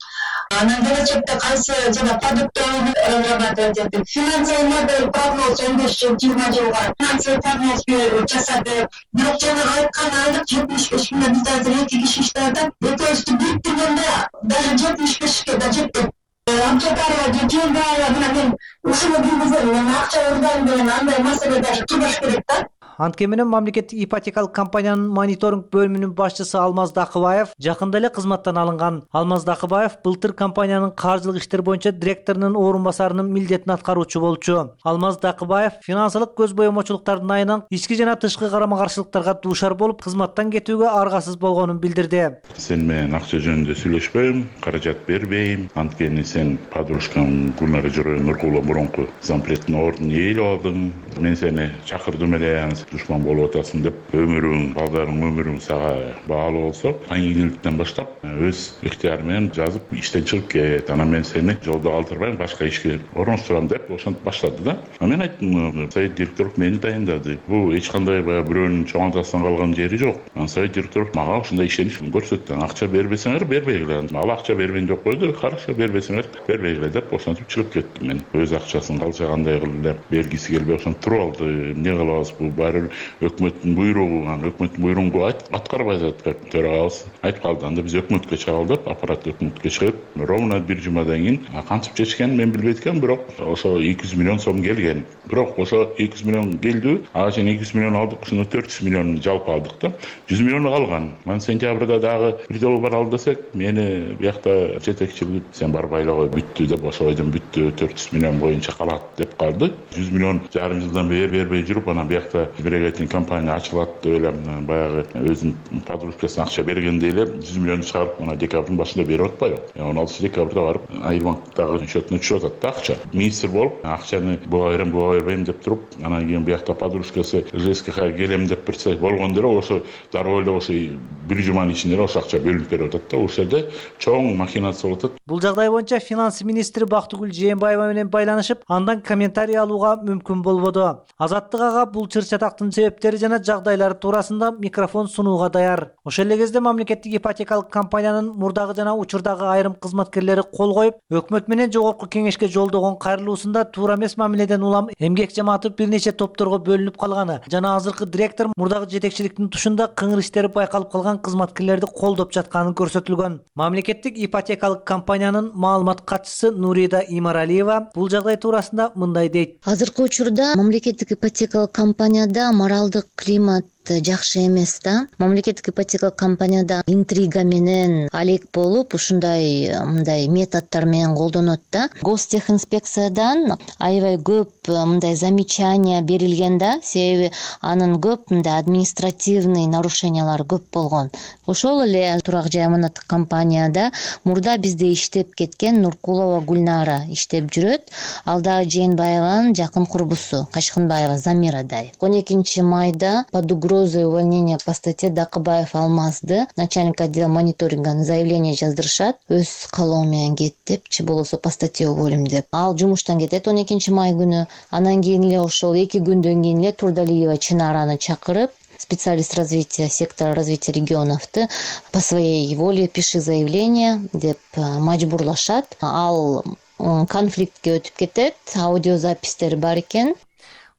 Анан келечекте кайсы жана продуктты разрабатывать этип, финансовый модель прогноз он беш жыл жыйырма жылга финансовый прогноз жасады. Бирок жанагы айткан айлык жетимиш беш миңден бизде азыр эки киши иштеп атат. Экөөбүздү бириктиргенде даже жетимиш бешке да жетпейт. Абжапарова Жээнбаева менен мен ушуну билгизем, мен акча ырдайм деген андай маселе даже турбаш керек да. Анткени мамлекеттик ипотекалык компаниянын мониторинг бөлүмүнүн башчысы Алмаз Дакыбаев жакында эле кызматтан алынган. Алмаз Дакыбаев былтыр компаниянын каржылык иштер боюнча директорунун орун басарынын милдетин аткаруучу болчу. Алмаз Дакыбаев финансылык көз боемочулуктардын айынан ички жана тышкы карама каршылыктарга дуушар болуп, кызматтан кетүүгө аргасыз болгонун билдирди. Сен менен акча жөнүндө сүйлөшпөйм, каражат бербейм. Анткени сен подружкам Гүлнара Нуркулова мурунку зампредтин ордун ээлеп алдың. Мен сени чакырдым эле, душман болуп атасың деп өмүрүң, балдарың өмүрүң сага баалуу болсо, кийинчиликтен баштап өз ыктыяры менен жазып иштен чыгып кет. Анан мен сени жолдо калтырбайм, башка ишке орноштурам деп ошентип баштады да. Мен айттым, совет директору мени дайындады. Бул эч кандай баягы бирөөнүн чоңантасынан калган жери жок. Анан совет директору мага ушундай ишенич көрсөттү. Акча бербесеңер бербейгиле. Ал акча берген жок койду. Хорошо, бербесеңер бербейгиле деп ошентип чыгып кеттим мен. Өз акчасын калчагандай кылып эле бергиси келбей ошентип туруп алды. Эмне кылабыз, бул баары өкмөттүн буйругу, анан өкмөттүн буйругун аткарбай атат. Төрагабыз айтып калды. Анда биз өкмөткө чыгалы деп, аппарат өкмөткө чыгып, ровно бир жумадан кийин кантип чечкенин мен билбейт экенмин, бирок ошо эки жүз миллион сом келген. Бирок ошо эки жүз миллион келди. Ага чейин эки жүз миллион алдык, ошондо төрт жүз миллион жалпы алдык да. жүз миллион калган. Мен сентябрда дагы бир жолу баралы десек, мени биякта жетекчилик сен барбай эле кой, бүттү деп, ошо бойдон бүттү, төрт жүз миллион боюнча калат деп калды. жүз миллион жарым жылдан бери бербей жүрүп, анан биякта сберегательный компания ачылат деп эле баягы өзүнүн подружкасына акча бергенде эле жүз миллион чыгарып, мына декабрдын башында берип атпайбы? он алтынчы декабрда барып Айбанктагы счетуна түшүп атат да акча. Министр болуп, акчаны буга берем, буга бербейм деп туруп, анан кийин биякта подружкасы ЖСКХ келем деп турса болгондо эле ошо дароо эле ошо бир жуманын ичинде ошо акча бөлүнүп берип атат да. Ошол жерде чоң махинация болуп атат. Бул жагдай боюнча финанс министри Бактыгүл Жээнбаева менен байланышып, андан комментарий алууга мүмкүн болбоду. Азаттык ага бул чыр-чатактын себептери жана жагдайлары туурасында микрофон сунууга даяр. Ошол эле кезде мамлекеттик ипотекалык компаниянын мурдагы жана учурдагы айрым кызматкерлери кол коюп, өкмөт менен жогорку кеңешке жолдогон кайрылуусунда туура эмес мамиледен улам эмгек жамааты бир нече топторго бөлүнүп калганы жана азыркы директор мурдагы жетекчиликтин тушунда кыңыр иштери байкалып калган кызматкерлерди колдоп жатканы көрсөтүлгөн. Мамлекеттик ипотекалык компаниянын маалымат катчысы Нурида Имаралиева бул жагдай туурасында мындай дейт. Азыркы учурда мамлекеттик ипотекалык компанияда моралдык климат жакшы эмес да. Мамлекеттик ипотекалык компанияда интрига менен алек болуп, ушундай мындай методдор менен колдонот да. Гостехинспекциядан аябай көп мындай замечания берилген да, себеби анын көп мындай административный нарушениялар көп болгон. Ошол эле турак жай аманаттык компанияда мурда бизде иштеп кеткен Нуркулова Гүлнара иштеп жүрөт. Ал дагы Жээнбаеванын жакын курбусу, Качкынбаева Замирадай. он экинчи майда под угрозой увольнения по статье Дакыбаев Алмазды начальник отдела мониторинга заявление жаздырышат, өз калоо менен кет депчи, болбосо по статье уволим деп. Ал жумуштан кетет он экинчи май күнү. Анан кийин эле ошол эки күндөн кийин эле Турдалиева Чынараны чакырып, специалист развития сектора развития регионовду по своей воле пиши заявление деп мажбурлашат. Ал конфликтке өтүп кетет, аудиозапистери бар экен.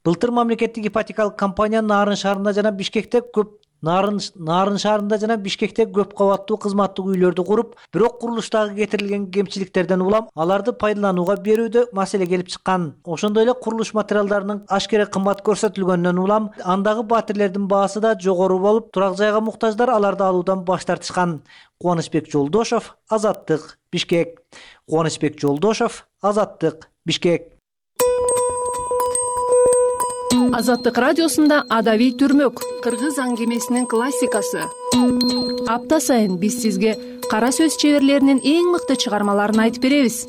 Былтыр мамлекеттик ипотекалык компания Нарын шаарында жана Бишкекте көп Нарын Нарын шаарында жана Бишкекте көп кабаттуу кызматтык үйлөрдү куруп, бирок курулуштагы кетирилген кемчиликтерден улам аларды пайдаланууга берүүдө маселе келип чыккан. Ошондой эле курулуш материалдарынын ашкере кымбат көрсөтүлгөндөн улам андагы батирлердин баасы да жогору болуп, турак жайга муктаждар аларды алуудан баш тартышкан. Кубанычбек Жолдошов, Азаттык, Бишкек. Кубанычбек Жолдошов, Азаттык, Бишкек. Азаттык радиосунда Адавий түрмөк, кыргыз аңгемесинин классикасы. Апта сайын биз сизге кара сөз чеберлеринин эң мыкты чыгармаларын айтып беребиз.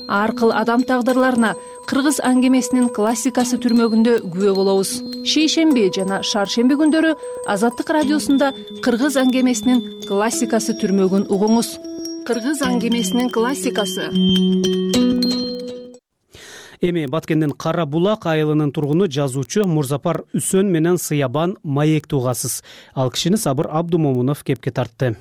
Ар кыл адам тагдырларына кыргыз аңгемесинин классикасы түрмөгүндө күбө болобуз. Шейшемби жана шаршемби күндөрү Азаттык радиосунда кыргыз аңгемесинин классикасы түрмөгүн угуңуз. Кыргыз аңгемесинин классикасы. Эми Баткендин Кара Булак айылынын тургуну жазуучу Мурзапар Үсөн менен Сыябан маекти угасыз. Ал кишини Сабыр Абдумомунов кепке тартты.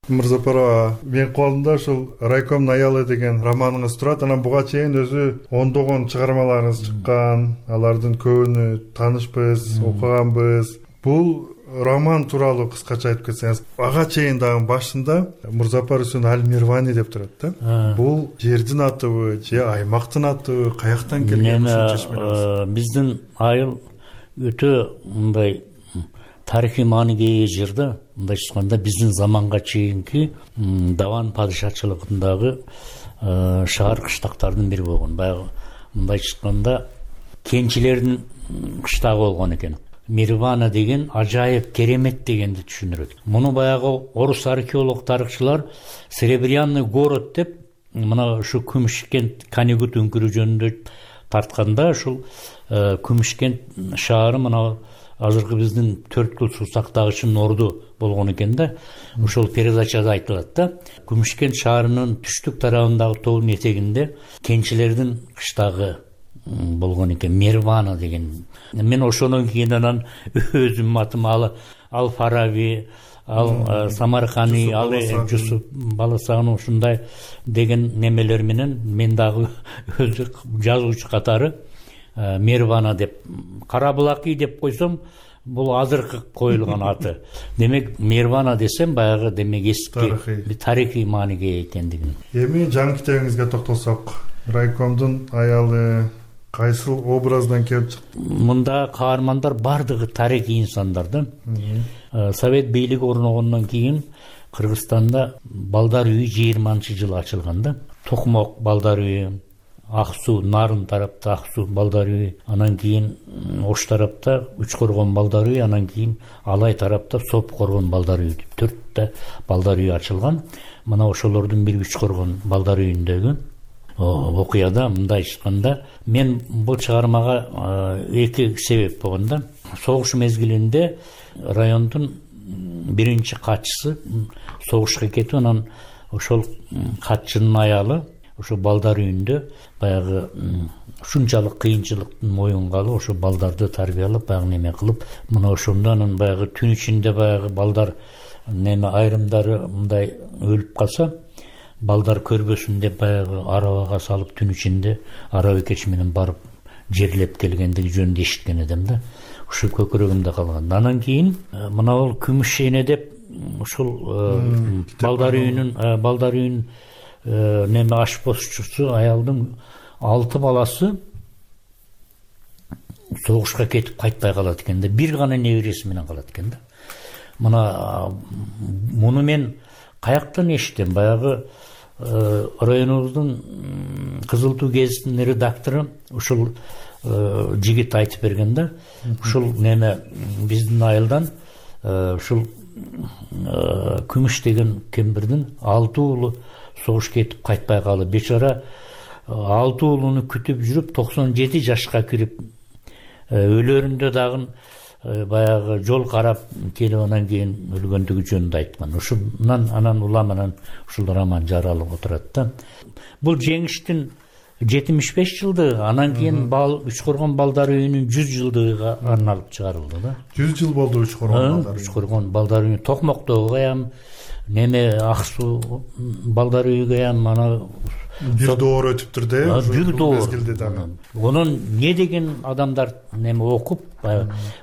Мурзапарова, мен колумда ушул Райкомдун аялы деген романыңыз турат. Анан буга чейин өзү ондогон чыгармаларыңыз чыккан. Алардын көбүнү таанышпыз, окуганбыз. Бул роман тууралуу кыскача айтып кетсеңиз. Ага чейин дагы башында Мурзапар Үсөн Аль-Мирвани деп турат да. Бул жердин атыбы же аймактын атыбы, каяктан келген ушунча? Биздин айыл өтө мындай тарыхый маанидеги жер да. Мындай айтканда биздин заманга чейинки Даван падышачылыгындагы шаар кыштактардын бири болгон. Баягы мындай айтканда кенчилердин кыштагы болгон экен. Мирвана деген ажайып, керемет дегенди түшүндүрөт. Муну баягы орус археолог тарыхчылар Серебряный город деп мына ушу Күмүшкент Канегут өңкүрү жөнүндө тартканда ушул Күмүшкент шаары мына азыркы биздин төрт кыл суу сактагычынын орду болгон экен да. Ошол передачада айтылат да. Күмүшкент шаарынын түштүк тарабындагы тоонун этегинде кенчилердин кыштагы болгон экен, Мервана деген. Мен ошондон кийин анан өзүмдүн атым ал Ал Фараби, ал Самаркани, ал Жусуп Баласагын ушундай деген немелер менен мен дагы өзү жазуучу катары Мервана деп, Карабулаки деп койсом, бул азыркы коюлган аты. Демек Мервана десем баягы демек эски тарыхый мааниге экендигин. Эми жаңы китебиңизге токтолсок, райкомдун аялы кайсыл образдан келип чыкты? Мында каармандар бардыгы тарыхый инсандар да. Совет бийлиги орногондон кийин Кыргызстанда балдар үйү жыйырманчы жылы ачылган да. Токмок балдар үйү, Ак суу, Нарын тарапта Ак суу балдар үйү, анан кийин Ош тарапта Үч Коргон балдар үйү, анан кийин Алай тарапта Соп Коргон балдар үйү деп төрттө балдар үйү ачылган. Мына ошолордун бири Үч Коргон балдар үйүндөгү окуяда мындай чыкканда, мен бул чыгармага эки себеп болгон да. Согуш мезгилинде райондун биринчи катчысы согушка кетип, анан ошол катчынын аялы ошо балдар үйүндө баягы ушунчалык кыйынчылыктын моюнга алып, ошо балдарды тарбиялап, баягы неме кылып, мына ошондо анан баягы түн ичинде баягы балдар неме айрымдары мындай өлүп калса, балдар көрбөсүн деп баягы арабага салып түн ичинде араба кеч менен барып жерлеп келгендиги жөнүндө эшиткен эдим да. Ушу көкүрөгүмдө калган. Анан кийин мына бул Күмүш эне деп ушул балдар үйүнүн балдар үйүнүн неме ашпозчусу аялдын алты баласы согушка кетип кайтпай калат экен да. Бир гана небереси менен калат экен да. Мына муну мен каяктан эшиттим? Баягы районубуздун Кызыл Туу гезитинин редактору ушул жигит айтып берген да. Ушул неме биздин айылдан ушул Күмүш деген кемпирдин алты уулу согуш кетип кайтпай калып, бечара алты уулуну күтүп жүрүп токсон жети жашка кирип өлөрүндө дагы баягы жол карап келип анан кийин өлгөндүгү жөнүндө айткан. Ушундан анан улам анан ушул роман жаралып отурат да. Бул жеңиштин жетимиш беш жылдыгы, анан кийин Үч Коргон балдар үйүнүн жүз жылдыгына арналып чыгарылды да. жүз жыл болду Үч Коргон балдар үйү. Үч Коргон балдар үйү Токмоктогу каям, неме Ак суу балдар үйү каям, ана бир доор өтүптүр да. Бир доор. Онун не деген адамдар неме окуп,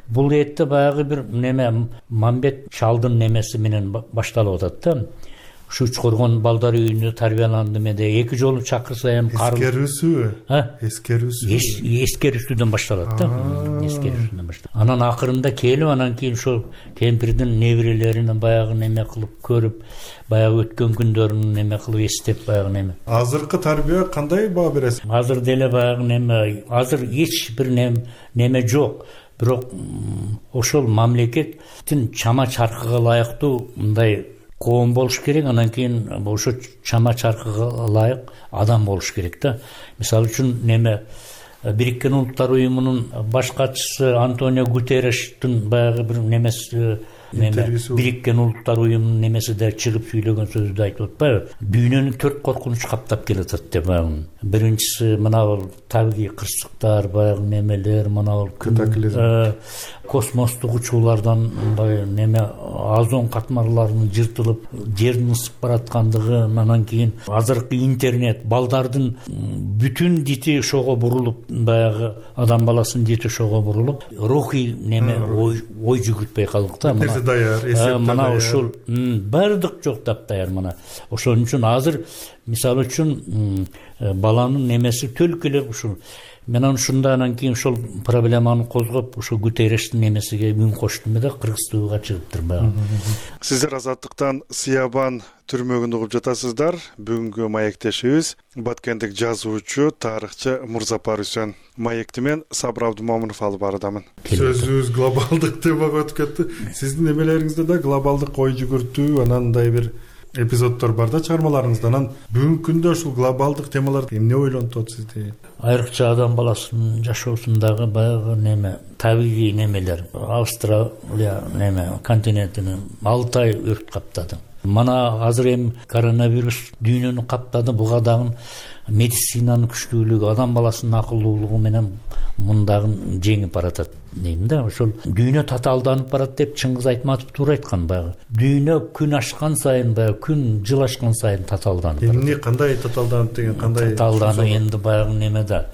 бул этте баягы бир неме Мамбет Чалдын немеси менен башталып атат да. Ушу Үч Коргон балдар үйүндө тарбияландым эде. Эки жолу чакырса эм эскерүүсүбү? Эскерүүсү. Эскерүүсүдөн башталат да. Эскерүүсүдөн башталат. Анан акырында келип, анан кийин ошол кемпирдин неберелерин баягы неме кылып көрүп, баягы өткөн күндөрүн неме кылып эстеп баягы неме. Азыркы тарбия кандай баа бересиз? Азыр деле баягы неме, азыр эч бир неме жок. Бирок ошол мамлекеттин чама чаркыга ылайыктуу мындай коом болуш керек, анан кийин ошо чама чаркыга ылайык адам болуш керек да. Мисалы үчүн неме Бириккен Улуттар уюмунун баш катчысы Антонио Гутеррештин баягы бир немеси Бириккен Улуттар уюмунун немеси да чыгып сүйлөгөн сөздү айтып атпайбы? Дүйнөнү төрт коркунуч каптап келатат деп баягы. Биринчиси мына бул табигый кырсыктар, баягы немелер, мына бул катаклизм, космостук учуулардан мындай неме озон катмарларынын жыртылып, жердин ысып бараткандыгы, анан кийин азыркы интернет, балдардын бүтүн дити ошого бурулуп, баягы адам баласынын дити ошого бурулуп, рухий неме ой жүгүртпөй калдык да. Даяр, эсеп мына ушул бардык жок таптаяр мына. Ошон үчүн азыр мисалы үчүн баланын немеси төлкү эле ушул. Мен ушунда анан кийин ушул проблеманы козгоп, ушул Гутеррештин немесиге үн коштум да, Кыргызстанга чыгыптыр баягы. Сиздер Азаттыктан Сиябан түрмөгүндө угуп жатасыздар. Бүгүнкү маектешибиз баткендик жазуучу, тарыхчы Мурзапар Үсөн. Маекти мен Сабыр Абдумомунов алып барадамын. Сөзүбүз глобалдык темага өтүп кетти. Сиздин немелериңизде да глобалдык ой жүгүртүү, анандай бир эпизоддор бар да чыгармаларыңызда. Анан бүгүнкү күндө ушул глобалдык темалар эмне ойлонтот сизди? Айрыкча адам баласынын жашоосундагы баягы неме табигый немелер. Австралия неме континентин алты ай өрт каптады. Мана азыр эми коронавирус дүйнөнү каптады. Буга дагы медицинанын күчтүүлүгү, адам баласынын акылдуулугу менен мундагы жеңип баратат дейм да. Ошол дүйнө татаалданып барат деп Чыңгыз Айтматов туура айткан. Баягы дүйнө күн ашкан сайын, баягы күн жыл ашкан сайын татаалданып барат. Эмне кандай татаалданып деген кандай? Татаалданып энди баягы неме да.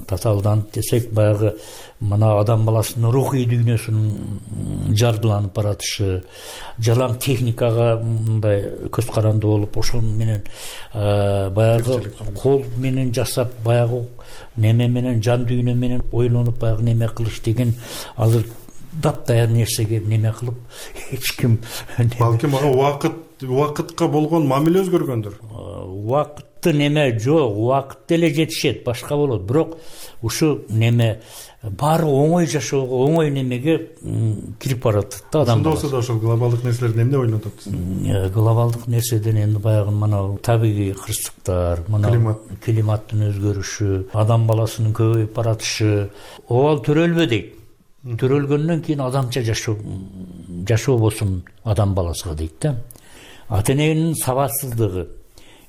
Татаалданып десек баягы мына адам баласынын рухий дүйнөсүнүн жардыланып баратышы, жалаң техникага мындай көз каранды болуп, ошол менен баягы кол менен жасап, баягы неме менен жан дүйнө менен ойлонуп баягы неме кылыш деген азыр дапдаяр нерсеге неме кылып эч ким балким ага убакыт убакытка болгон мамиле өзгөргөндүр. Убакытты неме жок, убакыт деле жетишет, башка болот. Бирок ушу неме баары оңой жашоого, оңой немеге кирип баратат да адам. Ошондо болсо да ошол глобалдык нерселерден эмне ойлонтот? Глобалдык нерседен энди баягы мына табигый кырсыктар, мына климат, климаттын өзгөрүшү, адам баласынын көбөйүп баратышы, обал төрөлбө дейт. Төрөлгөндөн кийин адамча жашоо жашоо болсун адам баласыга дейт да. Ата эненин сабатсыздыгы,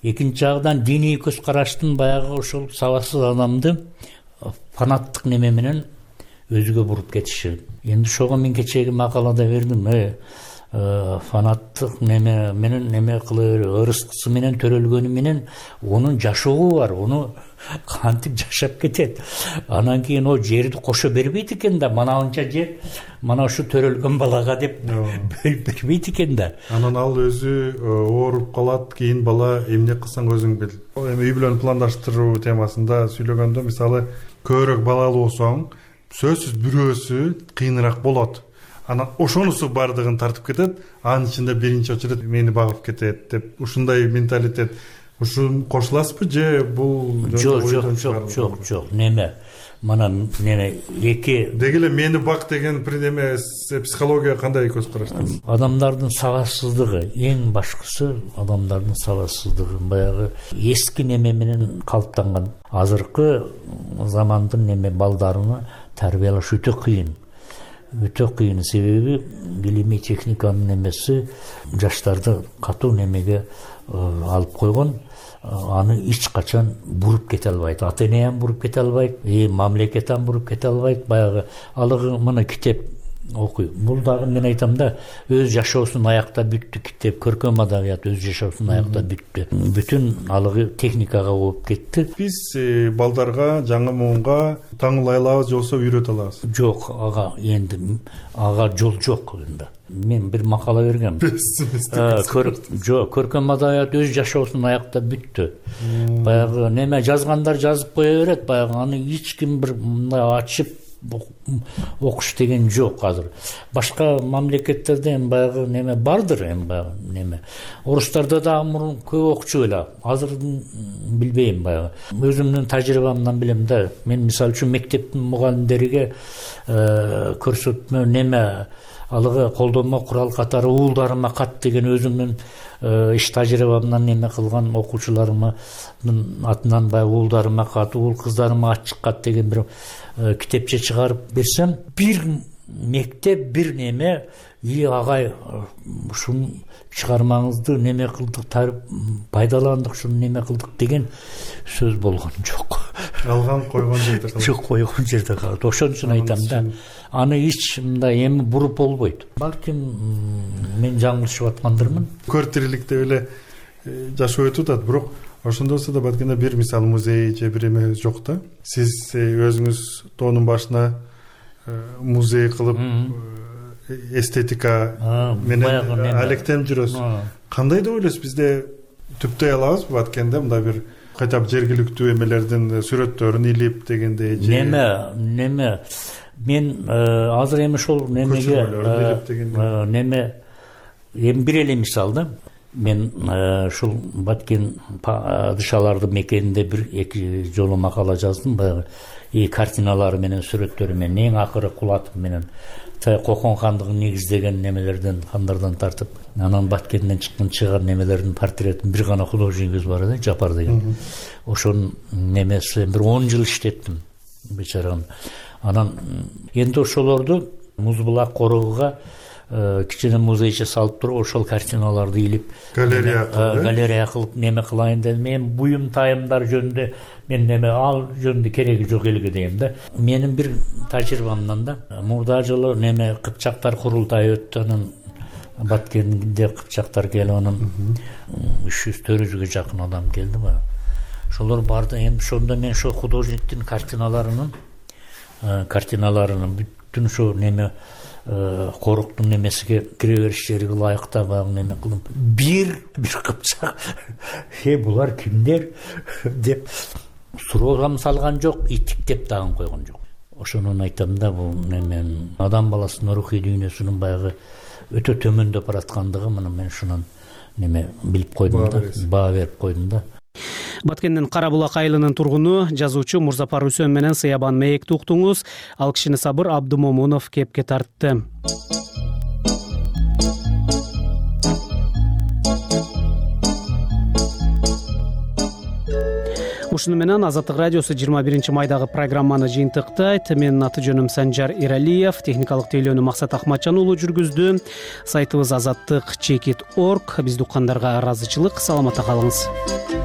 экинчи жагдан диний көз караштын баягы ошол сабатсыз адамды фанаттык неме менен өзгө буруп кетиши. Энди ошого мен кечеги макалада бердим. Э фанаттык неме менен неме кылып, ырыскысы менен төрөлгөнү менен онун жашоого бар, ону кантип жашап кетет. Анан кийин о жерди кошо бербейт экен да, манабынча жер мана ушу төрөлгөн балага деп бөлүп бербейт экен да. Анан ал өзү ооруп калат, кийин бала эмне кылсаң өзүң бил. Эми үй бүлөнү пландаштыруу темасында сүйлөгөндө мисалы көбүрөөк балалуу болсоң, сөзсүз бирөөсү кыйыныраак болот. Анан ошонусу бардыгын тартып кетет, анын ичинде биринчи очередь мени багып кетет деп ушундай менталитет. Ушун кошуласызбы же бул жок жок жок жок жок неме мана неме эки деги эле мени бак деген неме психология кандай көз карашта? Адамдардын сабатсыздыгы, эң башкысы адамдардын сабатсыздыгы, баягы эски неме менен калыптанган. Азыркы замандын неме балдарына тарбиялаш өтө кыйын. Өтө кыйын, себеби билимий техниканын немеси жаштарды катуу немеге алып койгон. Аны эч качан буруп кете албайт. Ата эне ham буруп кете албайт, э мамлекет ham буруп кете албайт. Баягы алыгы мына китеп окуй. Бул дагы мен айтам да, өз жашоосун аякта бүттү китеп, көркөм адабият өз жашоосун аякта бүттү. Бүтүн алыгы техникага болуп кетти. Биз балдарга, жаңы муунга таңыл айлабыз болсо үйрөтө алабыз. Жок, ага энди ага жол жок энди. Мен бир макала бергем. Жок, көркөм адабият өз жашоосун аякта бүттү. Баягы неме жазгандар жазып кое берет, баягы аны эч ким бир мындай ачып окуш деген жок азыр. Башка мамлекеттерде эми баягы неме бардыр, эми баягы неме. Орустарда да мурун көп окучу эле. Азыр билбейм баягы. Өзүмдүн тажрыйбамдан билем да. Мен мисалы үчүн мектептин мугалимдериге көрсөтмө неме алыгы колдонмо курал катары уулдарыма кат деген өзүмдүн иш тажрыйбамдан неме кылган окуучуларымдын атынан баягы уулдарыма кат, уул кыздарыма ат чыккат деген бир китепче чыгарып берсем, бир мектеп бир неме и агай ушуну чыгармаңызды неме кылдык, пайдаландык, ушуну неме кылдык деген сөз болгон жок. Алган койгон жерде калат. Жок, койгон жерде калат. Ошон үчүн айтам да, аны эч мындай эми буруп болбойт. Балким мен жаңылышып аткандырмын. Көр тириликте эле жашоо өтүп атат, бирок ошондосо да баткенде бир мисалы музей же бир эме жок да. Сиз өзүңүз тоонун башына музей кылып эстетика менен алектенип жүрөсүз. Кандай деп ойлойсуз, бизде түптөй алабызбы баткенде мындай бир кайтап жергиликтүү эмелердин сүрөттөрүн илип дегендей же неме неме мен азыр эми ошол немеге неме эми бир эле мисал да. Мен ушул Баткен падышаларды мекенинде бир эки жолу макала жаздым. Баягы и картиналары менен сүрөттөрү менен эң акыры кулатов менен Кокон хандыгын негиздеген немелерден хандардан тартып анан Баткенден чыккан чыгар немелердин портретин бир гана художникибиз бар эле, Жапар деген. Ошонун немеси бир он жыл иштеттим бечараны. Анан энди ошолорду Муз булак корогуга кичине музейче салып туруп ошол картиналарды илип галерея кылып галерея кылып неме кылайын дедим. Мен буюм тайымдар жөнүндө мен неме ал жөнүндө кереги жок элге дейм да. Менин бир тажрыйбамдан да мурда жылы неме кыпчактар курултайы өттү. Анан Баткенде кыпчактар келип анан үч жүз төрт жүзгө жакын адам келди ба. Ошолор барды. Эми ошондо мен ошо художниктин картиналарынын картиналарынын бүтүн ошо неме коруктун немесиге кире бериштериге ылайыктабагы неме кылып бир бир кыпчак э булар кимдер деп суроогам салган жок, итиктеп дагы койгон жок. Ошону айтам да, бул неме адам баласынын рухий дүйнөсүнүн баягы өтө төмөндөп бараткандыгы мына мен ушунан неме билип койдум да, баа берип койдум да. Баткендин Кара булак айылынын тургуну жазуучу Мурзапар Үсөн менен Сыябан Мээкти уктуңуз. Ал кишини Сабыр Абдумомунов кепке тартты. Ушуну менен Азаттык радиосу жыйырма биринчи майдагы программаны жыйынтыктайт. Менин аты жөнүм Санжар Иралиев, техникалык тейлөөнү Максат Акматжан уулу жүргүздү. Сайтыбыз азаттык чекит точка орг. Бизди уккандарга ыраазычылык. Саламатта калыңыз.